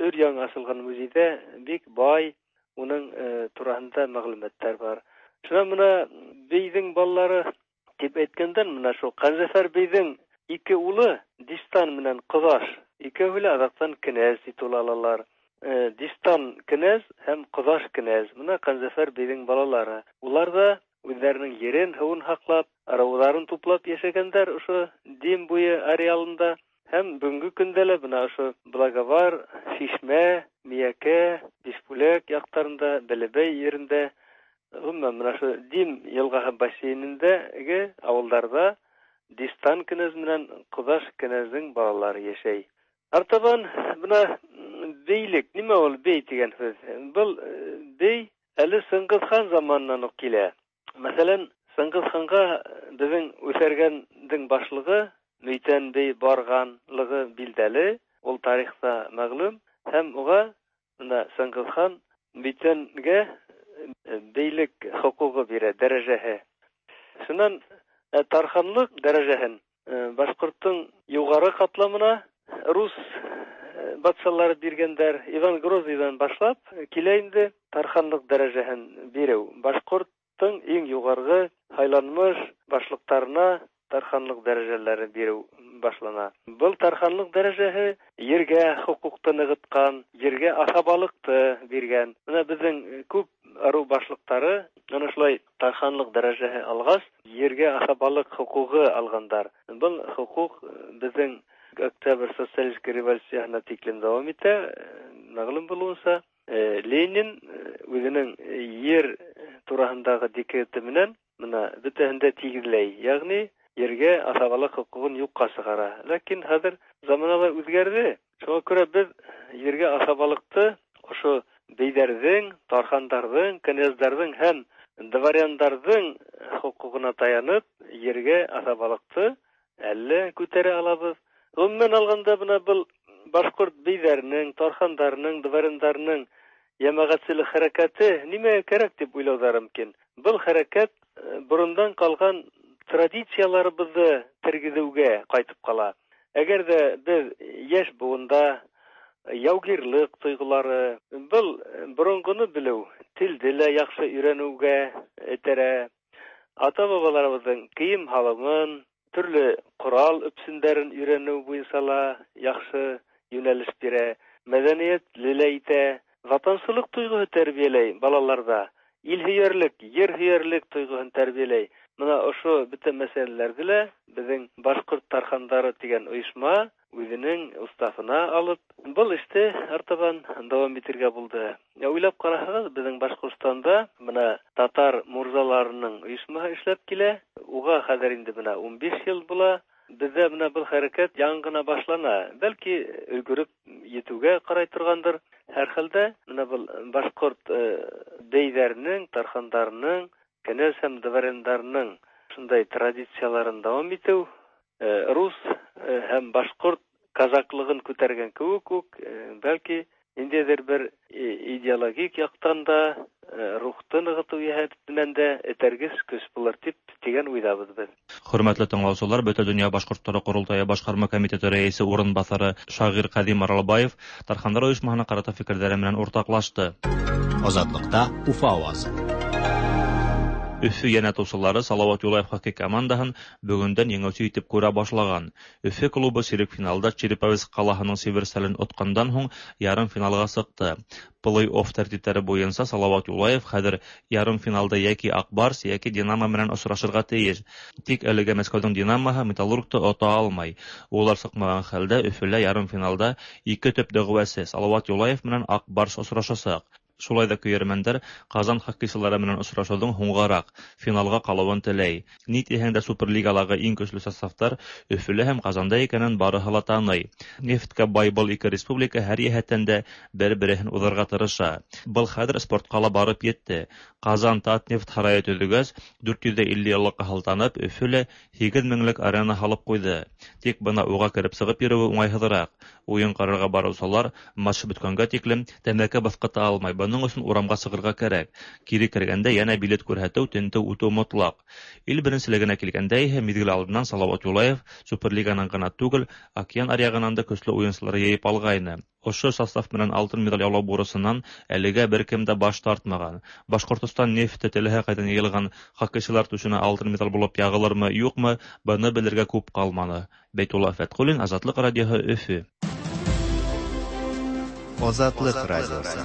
өр яңы асылған музейҙә бик бай Уның тураһында мәгълүматтар бар. Шунан мына бейҙең балалары тип әйткәндән, мына шул Ҡанзәфәр бейҙең ике улы Дистан менән Ҡоҙаш, икәүһе лә аҙаҡтан кенәз титулы алалар. Дистан кенәз һәм Ҡоҙаш кенәз. Мына Ҡанзәфәр бейҙең балалары. Улар ҙа үҙҙәренең ерен, һыуын һаҡлап, ырыуҙарын туплап йәшәгәндәр ошо Дим буйы ареалында. Һәм бөгөнгө көндә лә бына ошо Благовар, Шишмә, Миәкә, Бишбүләк яҡтарында, Бәләбәй ерендә, ғөмүмән мына ошо Дим йылғаһы бассейнендәге ауылдарҙа Дистан кенәз менән Ҡоҙаш кенәздең балалары йәшәй. Артабан бына бейлек, нимә ул бей тигән һүҙ? Был бей әле Сыңғыҙ хан заманынан уҡ килә. Мәҫәлән, Сыңғыҙ ханға беҙҙең Үҫәргәндең башлығы Мөйтән бей барғанлығы билдәле, ул тарихта мәғлүм, һәм уға бына Сыңғыҙ хан Мөйтәнгә бейлек хоҡуғы бирә, дәрәжәһе. Шунан тарханлыҡ дәрәжәһен башҡорттоң юғары ҡатламына рус батшалары биргәндәр. Иван Грозныйҙан башлап килә инде тарханлыҡ дәрәжәһен биреү. Башҡорттоң иң юғарғы һайланмыш башлыҡтарына тарханлыҡ дәрәжәләре биреү башлана. Был тарханлыҡ дәрәжәһе ергә хоҡуҡты нығытҡан, ергә аҫабалыҡты биргән. Бына беҙҙең күп ырыу башлыҡтары ана шулай тарханлыҡ дәрәжәһе алғас, ергә аҫабалыҡ хоҡуғы алғандар. Был хоҡуҡ беҙҙең Октябрь социалистик революцияһына тиклем дауам итә. Мәғлүм булыуынса, Ленин үҙенең ер тураһындағы декреты менән бына бөтәһен дә тигеҙләй, йәғни ергә аҫабалыҡ хоҡуғын юҡҡа сығара. Ләкин хәҙер заманалар үҙгәрҙе. Шуға күрә беҙ ергә аҫабалыҡты ошо бейҙәрҙең, тархандарҙың, кенәздәрҙең һәм дворяндарҙың хоҡуғына таянып ергә аҫабалыҡты әллә күтәрә алабыҙ. Ғөмүмән алғанда бына был башҡорт бейҙәренең, тархандарының, дворяндарының йәмәғәтселек хәрәкәте нимәгә кәрәк тип уйлауҙары мөмкин. Был хәрәкәт борондан ҡалған традицияларыбыҙҙы тергеҙеүгә ҡайтып ҡала. Әгәр ҙә беҙ йәш быуында яугирлыҡ тойғолары, был боронғоно белеү, телде лә яҡшы өйрәнеүгә этәрә, ата-бабаларыбыҙҙың кейем һалымын, төрлө ҡорал өпсөндәрен өйрәнеү буйынса ла яҡшы йүнәлеш бирә, мәҙәниәтле лә итә, ватансылыҡ тойғоһо тәрбиәләй балаларҙа, ил һөйәрлек, ер һөйәрлек тойғоһон тәрбиәләй. Бына ошо бөтә мәсьәләләрҙе лә беҙҙең Башҡорт тархандары тигән ойошма үҙенең уставына алып, был эште артабан дауам итергә булды. Уйлап ҡараһағыҙ, беҙҙең Башҡортостанда бына татар мурзаларының ойошмаһы эшләп килә. Уға хәҙер инде бына ун биш йыл була. Беҙҙә бына был хәрәкәт яңы ғына башлана. Бәлки өлгөрөп етеүгә ҡарай торғандыр. Һәр хәлдә бына был башҡорт бейҙәренең, тархандарының, кенәз һәм дворяндарының шундай традицияларын дауам итеү, рус һәм башҡорт казаклығын күтәргән кеүек үк, бәлки ниндәйҙер бер идеологик яҡтан да, рухты нығытыу йәһәтенән дә этәргес көс булыр тип тигән уйҙабыҙ беҙ. Хөрмәтле тыңлаусылар, Бөтә донъя башҡорттары ҡоролтайы башҡарма комитеты рәйесе урынбаҫары шағир Ҡәҙим Аралбаев тархандар ойошмаһына ҡарата фикерҙәре менән уртаҡлашты. Азатлыҡта Уфа ауазы. Өфө йәнәтыусылары Салауат Юлаев хоккей командаһын бөгөндән еңеүсе итеп күрә башлаған. Өфө клубы сирек финалда Череповец ҡалаһының Северстален отҡандан һуң ярым финалға сыҡты. Плей-офф тәртиптәре буйынса Салауат Юлаев хәҙер ярым финалда йәки Аҡбарс, йәки Динамо менән осрашырға тейеш. Тик әлегә Мәскәүҙең Динамоһы Металлургты ота алмай. Улар сыҡмаған хәлдә Өфөлә ярым финалда ике төп дәғүәсе Салауат Юлаев менән Аҡбарс осрашасаҡ. Шулай ҙа көйәрмәндәр Ҡазан хоккейсылары менән осрашыуҙың һуңғараҡ финалға ҡалыуын теләй. Ни тиһәң дә Суперлигалағы иң көслө составтар Өфөлә һәм Ҡазанда икәнен барыһы ла таный. Нефткә бай был ике республика һәр йәһәттән дә бер-береһен уҙырға тырыша. Был хәҙер спортҡа ла барып етте. Ҡазан Татнефть һарайы төҙөгәс, дүрт йөҙ илле йыллыҡҡа һылтанып, Өфөлә һигеҙ меңлек арена һалып ҡуйҙы. Тик бына уға кереп сығып йөрөүе уңайһыҙыраҡ. Уйын ҡарарға барыусылар матч бөткәнгә тиклем тәмәке баҫҡыта алмай. Бының Бының өсөн урамға сығырға кәрәк. Кире кергәндә йәнә билет күрһәтеү, тентеү үтеү мотлаҡ. Ил беренселегенә килгәндә иһә миҙгел алдынан Салауат Юлаев Суперлиганан ғына түгел, океан аръяғынан да көслө уйынсылар йыйып алғайны. Ошо состав менән алтын медаль яулау бурысынан әлегә бер кем дә баш тартмаған. Башҡортостан нефте теләһә ҡайҙан йыйылған хоккейсылар түшенә алтын медаль булып яғылырмы, юҡмы, быны белергә күп ҡалманы. Бәйтулла Фәтҡуллин, Азатлыҡ радиоһы, Өфө. Азатлык радиосы.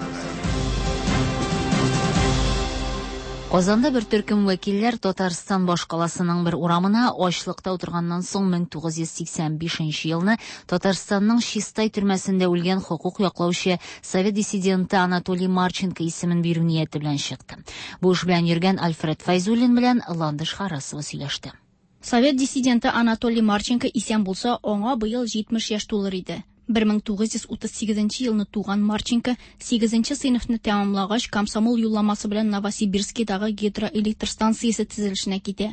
Казанда бер төркем вәкилләр Татарстан башкаласының бер урамына ачлыкта утырганнан соң мең тугыз йөз сиксән бишенче елны Татарстанның Чистай төрмәсендә үлгән хокук яклаучы совет диссиденты Анатолий Марченко исемен бирү нияте белән чыкты. Бу эш белән йөргән Альфред Файзуллин белән Ландыш Харасова сөйләште. Совет диссиденты Анатолий Марченко исән булса, аңа быел җитмеш яшь тулыр иде. Бер мең тугыз йөз утыз сигезенче елны туган Марченко сигезенче сыйныфны тәмамлагач комсомол юлламасы белән Новосибирскидагы гидроэлектр станциясе төзелешенә китә.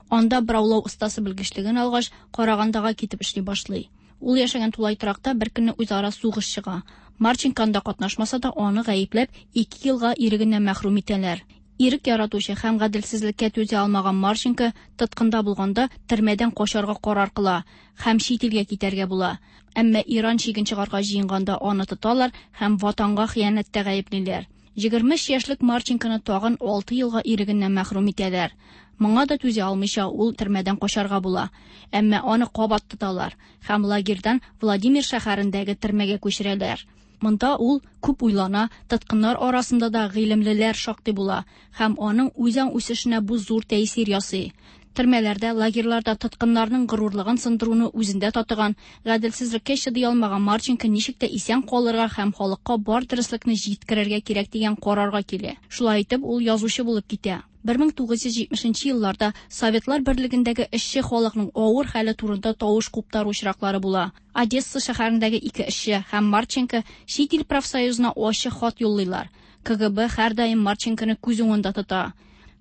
Анда браулау остасы белгечлеген алгач, Карагандага китеп эшли башлый. Ул яшәгән тулай торакта бер көнне үзара сугыш чыга. Марченко анда катнашмаса да, аны гаепләп ике елга ирегеннән мәхрүм итәләр. Ирек яратучы һәм гаделсезлеккә түзә алмаган Марченко тоткында булганда төрмәдән качарга карар кыла һәм чит илгә китәргә була. Әмма Иран чиген чыгарга җыенганда аны тоталар һәм ватанга хыянәттә гаеплиләр. Егерме өч яшьлек Марченконы тагын алты елга ирегеннән мәхрүм итәләр. Моңа да түзә алмыйча ул төрмәдән качарга була. Әмма аны кабат тоталар һәм лагерьдан Владимир шәһәрендәге төрмәгә күчерәләр. Монда ул күп уйлана, тоткыннар арасында да гыйлемлеләр шактый була һәм аның үзаң үсешенә бу зур тәэсир ясый. Төрмәләрдә, лагерьларда тоткыннарның горурлыгын сындыруны үзендә татыган, гаделсезлеккә чыдый алмаган Марченко ничек тә исән калырга һәм халыкка бар дөреслекне җиткерергә кирәк дигән карарга килә. Шулай итеп, ул язучы булып китә. Бер мең тугыз йөз җитмешенче елларда Советлар Берлегендәге эшче халыкның авыр хәле турында тавыш куптару очраклары була. Одесса шәһәрендәге ике эшче һәм Марченко чит ил профсоюзына ачык хат юллыйлар. Ка Гэ Бэ һәрдаим Марченконы күз уңында тота.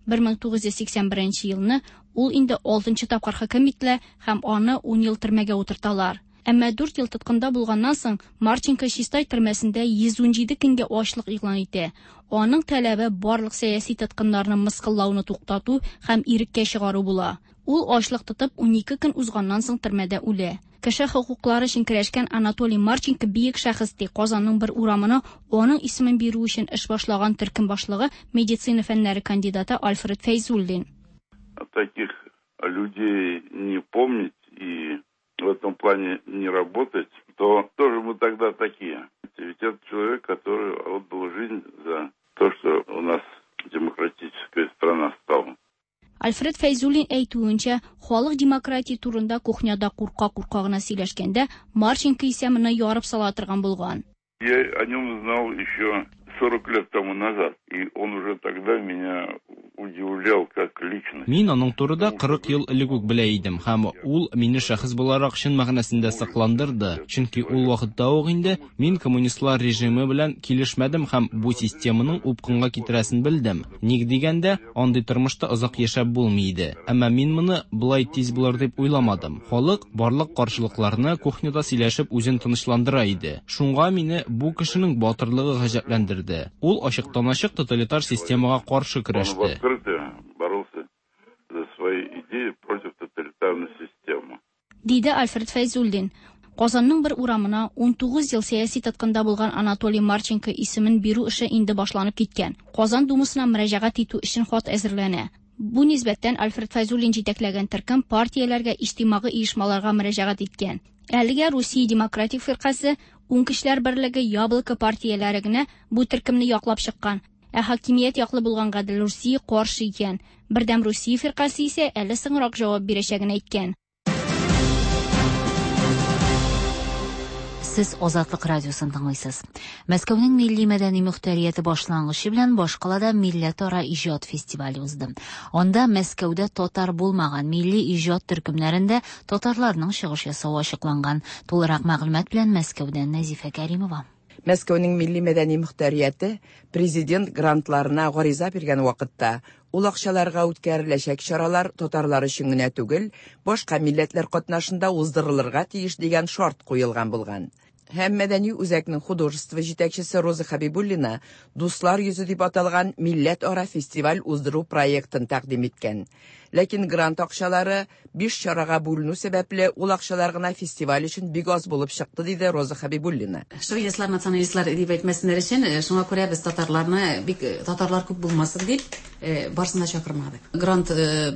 Бер мең тугыз йөз сиксән беренче елны ул инде алтынчы тапкыр хөкем ителә һәм аны ун ел төрмәгә утырталар. Әмма дүрт ел тоткында булганнан соң Марченко Чистай төрмәсендә йөз унҗиде көнгә ачлык игълан итә. Аның таләбе барлык сәяси тоткыннарны мыскыллауны туктату һәм иреккә чыгару була. Ул ачлык тотып унике көн узганнан соң төрмәдә үлә. Кеше хокуклары өчен көрәшкән Анатолий Марченко бөек шәхес ди. Казанның бер урамына аның исемен бирү өчен эш башлаган төркем башлыгы медицина фәннәре кандидаты Альфред Фәйзуллин. Таких людей не помнить и в этом плане не работать, то тоже мы тогда такие. Ведь это человек, который отдал жизнь за то, что у нас демократическая страна стала. Альфред Фәйзуллин әйтүенчә, халык демократия турында кухняда курка-курка гына сөйләшкәндә, Марченко исә моны ярып сала торган булган. Я о нем знал еще сорок лет тому назад, и он уже тогда меня удивлял как личность. Мин аның турында кырык ел элек үк белә идем, һәм ул мине шәхес буларак чын мәгънәсендә сакландырды, чөнки ул вакытта ук инде мин коммунистлар режимы белән килешмәдем һәм бу системаның упкынга китерәсен белдем. Ник дигәндә, андый тормышта озак яшәп булмый иде. Әмма мин моны болай тиз булыр дип уйламадым. Халык барлык каршылыкларны кухняда сөйләшеп үзен тынычландыра иде. Шуңа мине бу кешенең батырлыгы гаҗәпләндерде. Ул ачыктан-ачык тоталитар системага каршы көрәште. Боролся за свои идеи против тоталитарной системы. Диде Альфред Фәйзуллин. Казанның бер урамына ун тугыз ел сәяси тоткында булган Анатолий Марченко исемен бирү эше инде башланып киткән. Казан думасына мөрәҗәгать итү өчен хат әзерләнә. Бу нисбәттән Альфред Фәйзуллин җитәкләгән төркем партияләргә, иҗтимагый оешмаларга мөрәҗәгать иткән. Әлегә Русия Демократик фиркасе, Уң кешеләр берлеге, Яблоко партияләре генә бу төркемне яклап чыккан. Ә хакимият яклы булган Гадел Русия каршы икән. Бердәм Русия фиркасе исә әле соңрак җавап бирәчәген әйткән. Сез Азатлык радиосын тыңлыйсыз. Мәскәүнең милли мәдәни мөхтәрияте башлангычы белән башкалада милләтара иҗат фестивале узды. Анда Мәскәүдә татар булмаган милли иҗат төркемнәрендә татарларның чыгыш ясавы ачыкланган. Тулырак мәгълүмат белән Мәскәүдән Нәзифә Кәримова. Мәскәүнең милли мәдәни мөхтәрияте президент грантларына гариза биргән вакытта ул акчаларга үткәреләчәк чаралар татарлар өчен генә түгел, башка милләтләр катнашында уздырылырга тиеш дигән шарт куелган булган. Һәм мәдәни үзәкнең художество җитәкчесе Роза Хабибуллина «Дуслар йөзе» дип аталган милләтара фестиваль уздыру проектын тәкъдим иткән. Ләкин грант акчалары биш чарага бүленү сәбәпле, ул акчалар гына фестиваль өчен бик аз булып чыкты, диде Роза Хабибуллина. Шовинистлар, националистлар дип әйтмәсеннәр өчен, шуңа күрә без татарларны бик татарлар күп булмасын дип барысын да чакырмадык. Грант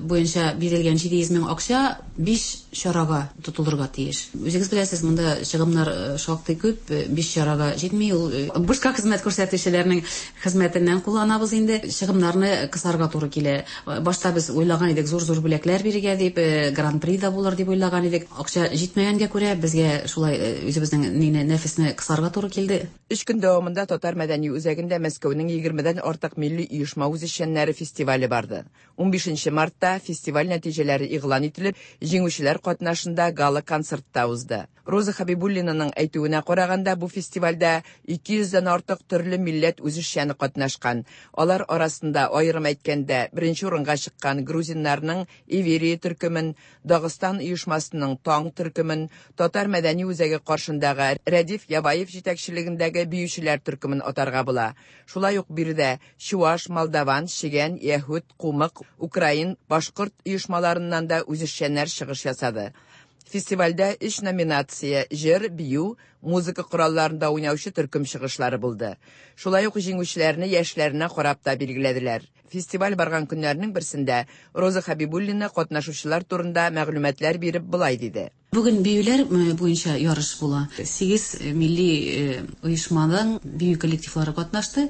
буенча бирелгән җиде йөз мең акча биш чарага тотылырга тиеш. Үзегез беләсез, монда чыгымнар шактый күп, биш чарага җитми. Ул бушка хезмәт күрсәтүчеләрнең хезмәтеннән кулланабыз инде. Чыгымнарны кысарга туры килә. Башта без уйлаган идек, зур-зур бүләкләр бирергә дип, гран-при да булыр дип уйлаган идек. Акча җитмәгәнгә күрә безгә шулай үзебезнең нине нәфесне кысарга туры килде. Өч көн дәвамында Татар мәдәни үзәгендә Мәскәүнең егермедән артык милли оешма үзешчәннәре фестивале барды. Унбишенче мартта фестиваль нәтиҗәләре игълан ителеп, җиңүчеләр катнашында гала-концертта узды. Роза Хабибуллинаның әйтүенә караганда, бу фестивальдә ике йөздән артык төрле милләт үзешчәне катнашкан. Алар арасында, аерым әйткәндә, беренче урынга чыккан грузиннарның Иверия төркемен, Дагыстан оешмасының Таң төркемен, Татар мәдәни үзәге каршындагы Рәдиф Ябаев җитәкчелегендәге биючеләр төркемен атарга була. Шулай ук биредә чуаш, молдаван, чегән, яһүд, кумык, украин, башкорт оешмаларыннан да үзешчәннәр чыгыш ясады. Фестивальдә өч номинация – җыр, бию, музыка коралларында уйнаучы төркем чыгышлары булды. Шулай ук җиңүчеләрне яшьләренә карап та билгеләделәр. Фестиваль барган көннәрнең берсендә Роза Хабибуллина катнашучылар турында мәгълүматлар биреп болай диде. Бүген биюләр буенча ярыш була. Сигез милли оешманың бию коллективлары катнашты.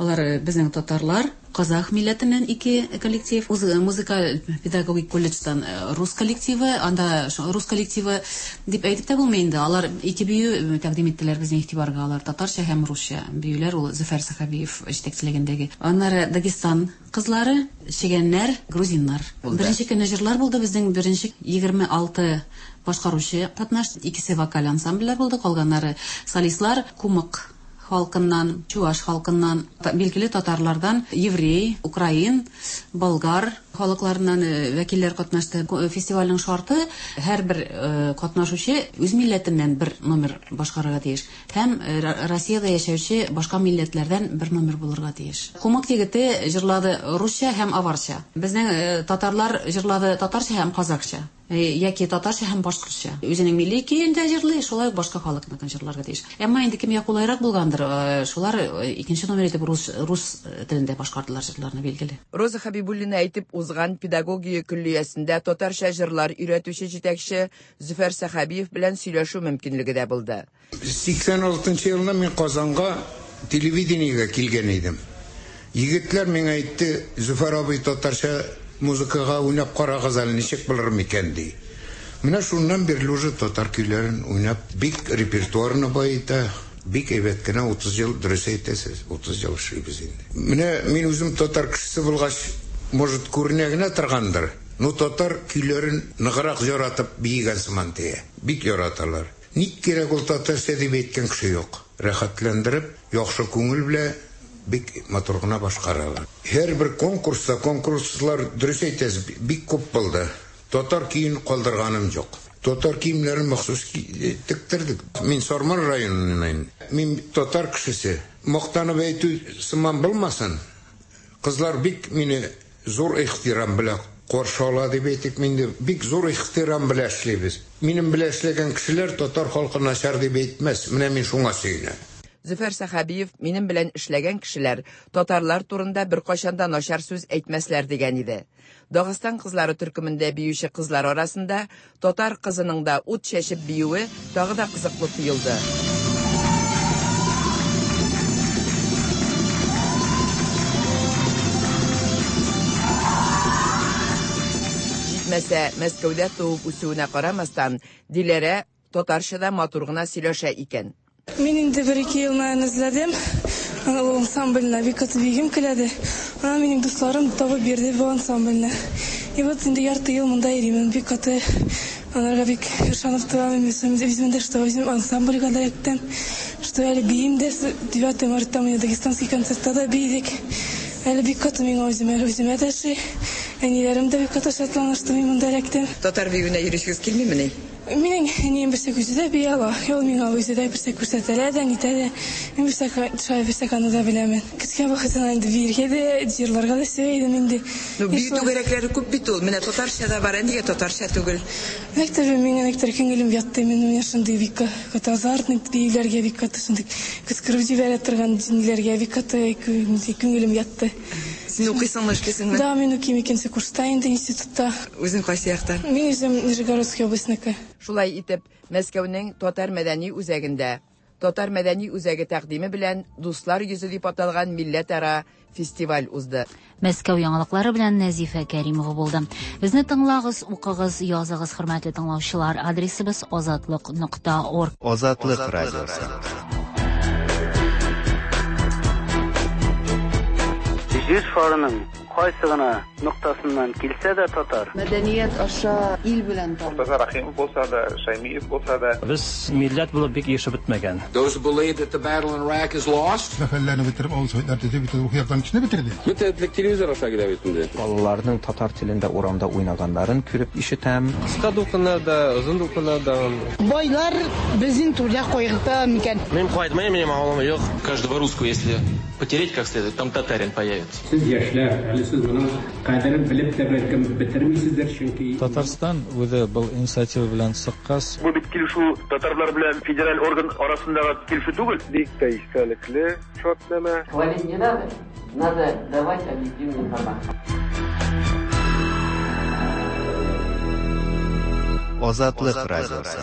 Алар безнең татарлар, казах милләтеннән ике коллектив, музыкаль педагогик колледждан рус коллективы, анда рус коллективы дип әйтеп тә булмый инде. Алар ике бию тәкъдим иттеләр безнең игътибарга. Алар татарча һәм русча биюләр, ул Зөфәр Сәхәбиев җитәкчелегендәге. Аннары Дагестан кызлары, чегәннәр, грузиннар. Беренче көнне җырлар булды, безнең беренче егерме алты башкаручы катнашты. Икесе вокаль ансамбльләр булды, калганнары солистлар, кумык халкыннан, чуаш халкыннан, билгеле татарлардан, еврей, украин, болгар халыкларыннан вәкилләр катнашты. Фестивальнең шарты: һәрбер катнашучы үз милләтеннән бер номер башкарырга тиеш һәм Россиядә яшәүче башка милләтләрдән бер номер булырга тиеш. Кумык егете җырлады русча һәм аварча. Безнең татарлар җырлады татарча һәм казакча, яки татарча һәм башкортча. Үзенең милли көен дә җырлый, шулай ук башка халыкныкын җырларга тиеш. Әмма инде кемгә кулайрак булгандыр, шулар икенче номер итеп рус рус телендә башкардылар җырларны, билгеле. Роза Хабибуллина әйтеп узган педагогия көллиясендә татарча җырлар өйрәтүче җитәкче Зөфәр Сәхәбиев белән сөйләшү мөмкинлеге дә булды. сиксән алтынчы елны мин Казанга телевидениегә килгән идем. Егетләр миңа әйтте: "Зөфәр абый, татарча музыкага уйнап карагыз әле, ничек булыр микән?" ди. Менә шуннан бирле уже татар көйләрен уйнап, бик репертуарны баета, бик әйбәт кенә утыз ел, дөрес әйтәсез, утыз ел эшлибез инде. Менә мин үзем татар кешесе булгач, может, күренә генә торгандыр, но татар көйләрен ныграк яратып биегән сыман тия. Бик яраталар. Ник кирәк ул татарча дип әйткән кеше юк. Рәхәтләндереп, яхшы күңел белән бик матур гына башкаралар. Һәрбер конкурста, конкурслар, дөрес әйтәсез, бик күп булды. Татар киен калдырганым юк. Татар киемнәрен махсус тектердек. Мин Сарман районыннан. Мин татар кешесе. Мактанып әйтү сыман булмасын. Кызлар бик мине зур ихтирам белән каршы ала дип әйтик, мин бик зур ихтирам белән эшлибез. Минем белән эшләгән кешеләр татар халкы начар дип әйтмәс. Менә мин шуңа сөенәм. Зөфәр Сәхәбиев минем белән эшләгән кешеләр татарлар турында беркайчан да начар сүз әйтмәсләр дигән иде. Дагыстан кызлары төркемендә биюче кызлар арасында татар кызының да ут чәчеп биюе тагы да кызыклы тоелды. Җитмәсә, Мәскәүдә туып үсүенә карамастан, Диләрә татарча да матур гына сөйләшә икән. Мин инде бер ике ел наен эзләдем. Ул ансамбльне бик каты бигем киләде. Ана минем дусларым табып бирде бу ансамбльне. И вот инде ярты ел монда йөрим. Бик каты аларга бик ышанып торам. Үзем дә, что үзем ансамбльгә да эләктем. Что әле биим дә, девятое мартта мы дагестанский концертта да биедек. Әле бик каты миңа үземә, үземә дә ши. Әниләрем дә бик каты шатлана, что мин монда эләктем. Татар биюенә йөришегез килмимени? Минем әнием берсә үзе дә бии ала. Ул миңа үзе дә берсә күрсәтә дә, нитә дә. Мин берсә шулай берсә аны да беләмен. Кечкенә вакытымнан инде биергә дә, җырларга да сөя идем инде. Ну, бию түгәрәкләре күп бит ул. Менә татарча да бар, ә нигә татарча түгел? Мәктәбе миңа никтер күңелем ятты. Мин менә шундый бик каты азартный биюләргә бик каты шундый кычкырып җибәрә торган ниләргә бик каты күңелем ятты. Син укыйсыңмы, эшлисеңме? Да, мин укыйм икенче курста инде институтта. Үзең кайсы яктан? Мин үзем Нижегородский областьныкы. Шулай итеп, Мәскәүнең Татар мәдәни үзәгендә Татар мәдәни үзәге тәкъдиме белән Дуслар йөзе дип аталган милләтара фестиваль узды. Мәскәү яңалыклары белән Нәзифә Кәримова булды. Безне тыңлагыз, укыгыз, языгыз, хөрмәтле тыңлаучылар. Адресыбыз азатлык нокта орг. Азатлык радиосы. Җир шарының кайсы гына ноктасыннан килсә дә татар. Мәдәният аша ил белән таныш. Мортаза Рахимов булса да, Шаймиев булса да. Без милләт булып бик яшәп бетмәгән. Those who believe that the battle in Iraq is lost. Мәхәлләне бетереп, авыл советлар төзеп, бөтен рухи яктан кешене бетерде. Бөтен телевизор аша килә бит инде. Балаларның татар телендә урамда уйнаганнарын күреп ишетәм. Кыска дулкыннарда, озын дулкыннарда. Байлар безнең түрдә кайгырта микән? Мин кайтмыйм, минем авылым юк. Каждого русского, если потереть как следует, там татарин появится. Сез яшьләр, әле сез моның кадерен белеп тә бәлкем бетермисездер, чөнки Татарстан үзе был инициатива белән чыккач. Бу бит килешү татарлар белән федераль орган арасындагы килешү түгел. Бик тә истәлекле шартнамә. Хвалить не надо, надо давать объективную информацию. Азатлык радиосы.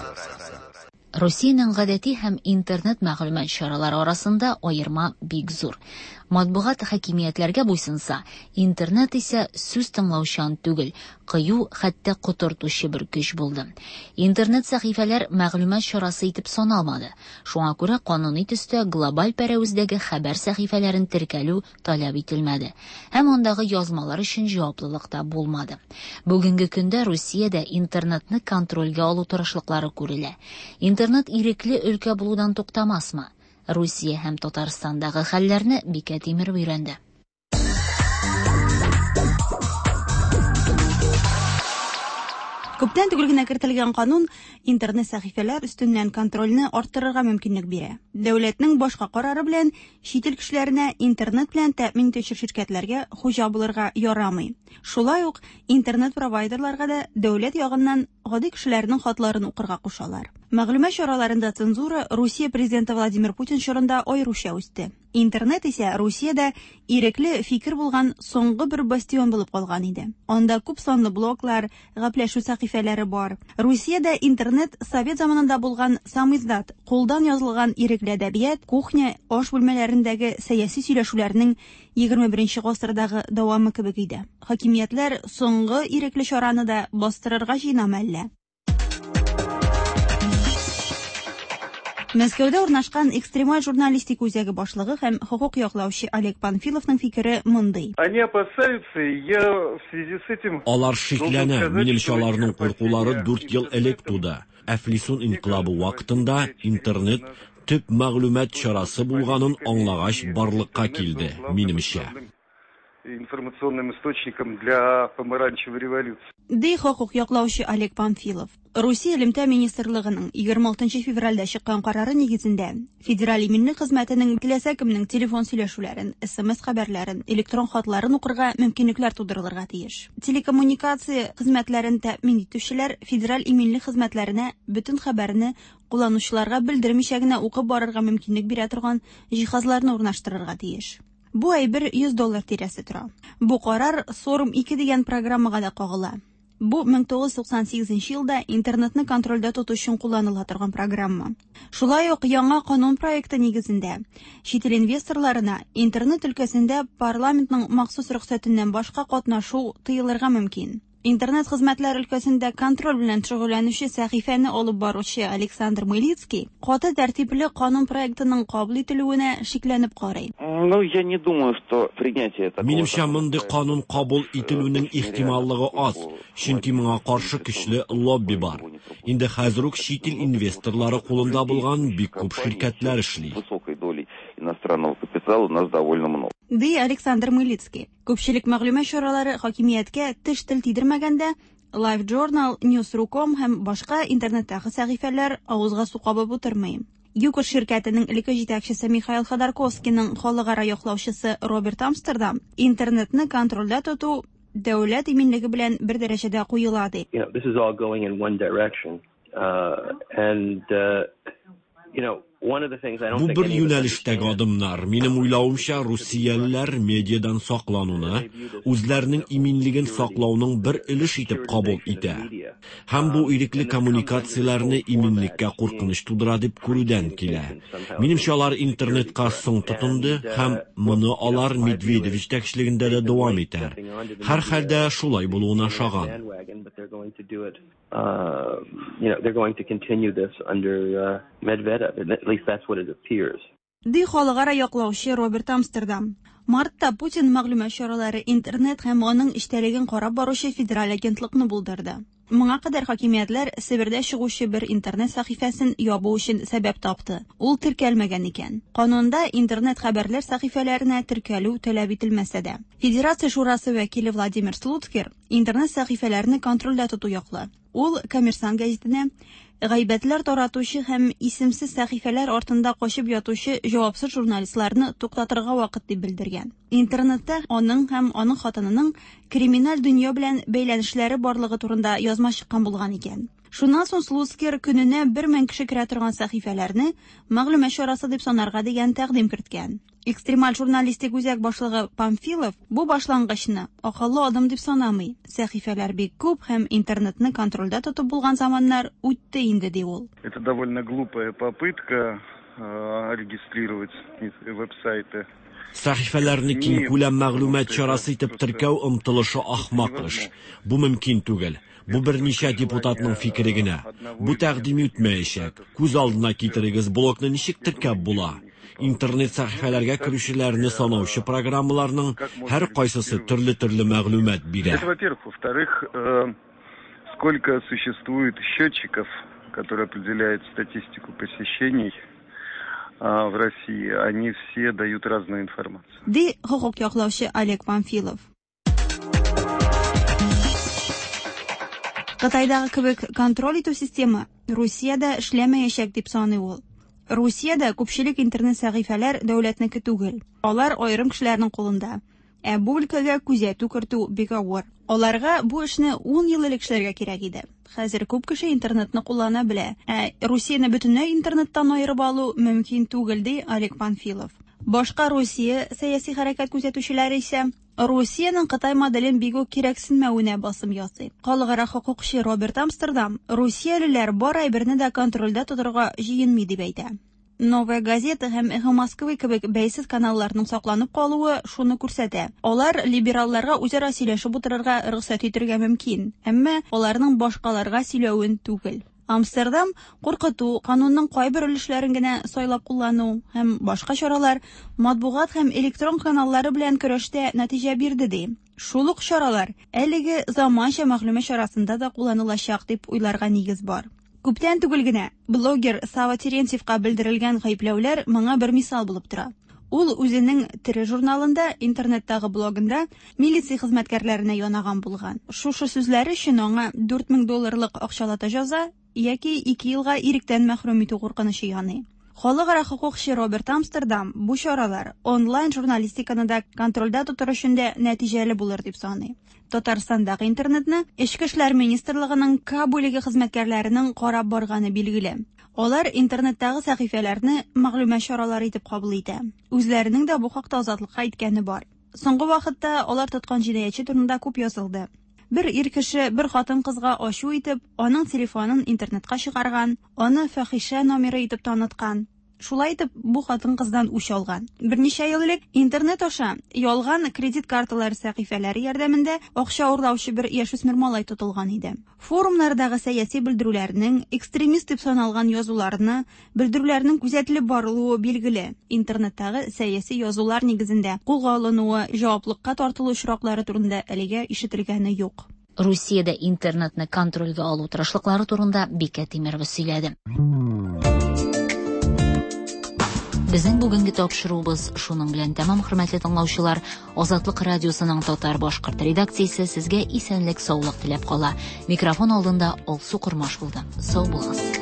Русиянең гадәти һәм интернет мәгълүмат чаралары арасында аерма бик зур. Матбугат хакимиятләргә буйсынса, интернет исә сүз тыңлаучан түгел, кыю, хәтта котыртучы бер көч булды. Интернет сәхифәләр мәгълүмат чарасы итеп саналмады. Шуңа күрә кануни төстә глобаль пәрәвездәге хәбәр сәхифәләрен теркәлү таләп ителмәде һәм андагы язмалар өчен җаваплылык та булмады. Бүгенге көндә Русиядә интернетны контрольгә алу тырышлыклары күрелә. Интернет ирекле өлкә булудан туктамасмы? Русия һәм Татарстандагы хәлләрне Бикә Тимер өйрәнде. Күптән түгел генә кертелгән канун интернет сәхифәләр өстеннән контрольне арттырырга мөмкинлек бирә. Дәүләтнең башка карары белән чит ил кешеләренә интернет белән тәэмин итүче ширкәтләргә хуҗа булырга ярамый. Шулай ук интернет провайдерларга да дәүләт ягыннан гади кешеләрнең хатларын укырга кушалар. Мәгълүмат чараларында цензура Русия президенты Владимир Путин чорында аеруча үсте. Интернет исә Русиядә ирекле фикер булган соңгы бер бастион булып калган иде. Анда күп санлы блоглар, гәпләшү сәхифәләре бар. Русиядә интернет совет заманында булган самиздат, кулдан язылган ирекле әдәбият, кухня, аш бүлмәләрендәге сәяси сөйләшүләрнең егерме беренче гасырдагы дәвамы кебек иде. Хакимиятләр соңгы ирекле чараны да бастырырга җыенамы әллә? Мәскәүдә урнашкан экстремаль журналистика үзәге башлыгы һәм хокук яклаучы Олег Панфиловның фикере мондый. Они опасаются, я в связи с этим Алар шикләнә, минемчә аларның куркулары дүрт ел элек туды. Әфлисун инкыйлабы вакытында интернет төп мәгълүмат чарасы булганын аңлагач барлыкка килде, минемчә. Информационным источником для помаранчевой революции. Ди хокук яклаучы Олег Панфилов. Русия элемтә министрлыгының егерме алтынчы февральдә чыккан карары нигезендә Федераль иминлек хезмәтенең теләсә кемнең телефон сөйләшүләрен, эс эм эс хәбәрләрен, электрон хатларын укырга мөмкинлекләр тудырылырга тиеш. Телекоммуникация хезмәтләрен тәэмин итүчеләр федераль иминлек хезмәтләренә бөтен хәбәрне кулланучыларга белдермичә генә укып барырга мөмкинлек бирә торган җиһазларны урнаштырырга тиеш. Бу әйбер йөз доллар тирәсе тора. Бу карар Сорум ике дигән программага да кагыла. Бу мең тугыз йөз туксан сигезенче елда интернетны контрольдә тоту өчен кулланыла торган программа. Шулай ук яңа канун проекты нигезендә чит ил инвесторларына интернет өлкәсендә парламентның махсус рөхсәтеннән башка катнашу тыелырга мөмкин. Интернет хезмәтләр өлкәсендә контроль белән шөгыльләнүче сәхифәне алып баручы Александр Мылицкий каты тәртипле канун проектының кабул ителүенә шикләнеп карый. Ну, я не думаю, что принятие такого Минемчә, мондый канун кабул ителүнең ихтималлыгы аз, чөнки моңа каршы көчле лобби бар. Инде хәзер үк чит ил инвесторлары кулында булган бик күп ширкәтләр эшли. Высокой долей иностранного капитала у нас довольно много. Ди Александр Мылицкий. Күпчелек мәгълүмат чаралары хакимияткә теш тел тидермәгәндә LiveJournal, News.ru.com һәм башка интернеттагы сәхифәләр авызга су кабып утырмый. ЮКОС ширкәтенең элекке җитәкчесе Михаил Ходорковскийның халыкара яклаучысы Роберт Амстердам интернетны контрольдә тоту дәүләт иминлеге белән бер дәрәҗәдә куела ди. You know, this is all going in one direction. Uh, and uh, you know, one of the things I don't Бу think бер any of us юнәлештәге адымнар. Минем уйлавымча, русиялеләр медиадан саклануны үзләренең иминлеген саклауның бер өлеш итеп кабул итә. Һәм бу ирекле коммуникацияләрне иминлеккә куркыныч тудыра дип күрүдән килә. Минемчә, алар интернетка соң тотынды һәм моны алар Медведев җитәкчелегендә дә дәвам итәр. Һәрхәлдә шулай булуына ошаган. bandwagon, but they're going to do it. Uh, you know, they're going to continue this under uh, Medvedev. At least that's what it appears. Ди халыкара яклаучы Роберт Амстердам. Мартта Путин мәгълүмат чаралары интернет һәм аның эчтәлеген карап баручы федераль агентлыкны булдырды. Моңа кадәр хакимиятләр Себердә чыгучы бер интернет сәхифәсен ябу өчен сәбәп тапты. Ул теркәлмәгән икән. Канунда интернет хәбәрләр сәхифәләренә теркәлү таләп ителмәсә дә. Федерация шурасы вәкиле Владимир Слуцкер интернет сәхифәләрне контрольдә тоту яклы. Ул Коммерсант гәзитенә гайбәтләр таратучы һәм исемсез сәхифәләр артында качып ятучы җавапсыз журналистларны туктатырга вакыт дип белдергән. Интернетта аның һәм аның хатынының криминаль дөнья белән бәйләнешләре барлыгы турында язма чыккан булган икән. Шуннан соң Слуцкер көненә бер мең кеше керә торган сәхифәләрне мәгълүмат чарасы дип санарга дигән тәкъдим керткән. Экстремаль журналистик үзәк башлыгы Памфилов бу башлангычны акыллы адым дип санамый. Сәхифәләр бик күп һәм интернетны контрольдә тотып булган заманнар үтте инде, ди ул. Это довольно глупая попытка э, регистрировать веб-сайты. Сәхифәләрне киңкүләм мәгълүмат чарасы итеп теркәү омтылышы ахмак эш. Бу мөмкин түгел. Бу берничә депутатның фикере генә. Бу тәкъдим үтмәячәк. Күз алдына китерегез, блогны ничек теркәп була? Интернет сәхифәләргә керүчеләрне санаучы программаларның һәр кайсысы төрле-төрле мәгълүмат бирә. Это, во-первых. Во-вторых, э, сколько существует счетчиков, которые определяют статистику посещений в России, они все дают разную информацию. Ди хокук яклаучы Олег Памфилов. Кытайдагы кебек контроль итү системы Русиядә эшләмәячәк дип саный ул. Русиядә күпчелек интернет сәхифәләр дәүләтнеке түгел. Алар аерым кешеләрнең кулында. Ә бу өлкәгә күзәтү кертү бик авыр. Аларга бу эшне ун ел элек эшләргә кирәк иде. Хәзер күп кеше интернетны куллана белә. Ә Русияне бөтенләй интернеттан аерып алу мөмкин түгел, ди Олег Панфилов. Башка Русия сәяси хәрәкәт күзәтүчеләре исә Русиянең Кытай моделен бик үк кирәксенмәвенә басым ясый. Халыкара хокукчы Роберт Амстердам русиялеләр бар әйберне дә контрольдә тотарга җыенмый дип әйтә. Новая газета һәм Эхо Москвы кебек бәйсез каналларның сакланып калуы шуны күрсәтә. Алар либералларга үзара сөйләшеп утырырга рөхсәт итәргә мөмкин, әмма аларның башкаларга сөйләвен түгел. Амстердам куркыту, канунның кайбер өлешләрен генә сайлап куллану һәм башка чаралар матбугат һәм электрон каналлары белән көрәштә нәтиҗә бирде ди. Шул ук чаралар әлеге заманча мәгълүмат чарасында да кулланылачак дип уйларга нигез бар. Күптән түгел генә блогер Сава Терентьевка белдерелгән гаепләүләр моңа бер мисал булып тора. Ул үзенең тере журналында, интернеттагы блогында милиция хезмәткәрләренә янаган булган. Шушы сүзләре өчен аңа дүрт мең долларлык акчалата җәза яки ике елга иректән мәхрүм итү куркынычы яный. Халыкара хокукчы Роберт Амстердам бу чаралар онлайн журналистиканы да контрольдә тотар өчен дә нәтиҗәле булыр дип саный. Татарстандагы интернетны Эчке эшләр министрлыгының К бүлеге хезмәткәрләренең карап барганы билгеле. Алар интернеттагы сәхифәләрне мәгълүмат чаралары итеп кабул итә. Үзләренең дә бу хакта Азатлыкка әйткәне бар. Соңгы вакытта алар тоткан җинаятьче турында күп язылды. Бер ир кеше бер хатын-кызга ачу итеп, аның телефонын интернетка чыгарган, аны фахишә номеры итеп таныткан. Шулай итеп, бу хатын-кыздан үч алган. Берничә ел элек интернет аша ялган кредит карталары сәхифәләре ярдәмендә акча урлаучы бер яшүсмер малай тотылган иде. Форумнардагы сәяси белдерүләрнең, экстремист дип саналган язуларны, белдерүләрнең күзәтелеп барылуы билгеле. Интернеттагы сәяси язулар нигезендә кулга алынуы, җаваплыкка тартылу очраклары турында әлегә ишетелгәне юк. Русиядә интернетны контрольгә алу тырышлыклары турында Бикә Тимирова сөйләде. Безнең бүгенге тапшыруыбыз шуның белән тәмам, хөрмәтле тыңлаучылар. Азатлык радиосының татар-башкорт редакциясе сезгә исәнлек, саулык теләп кала. Микрофон алдында Алсу Кормаш булды. Сау булыгыз.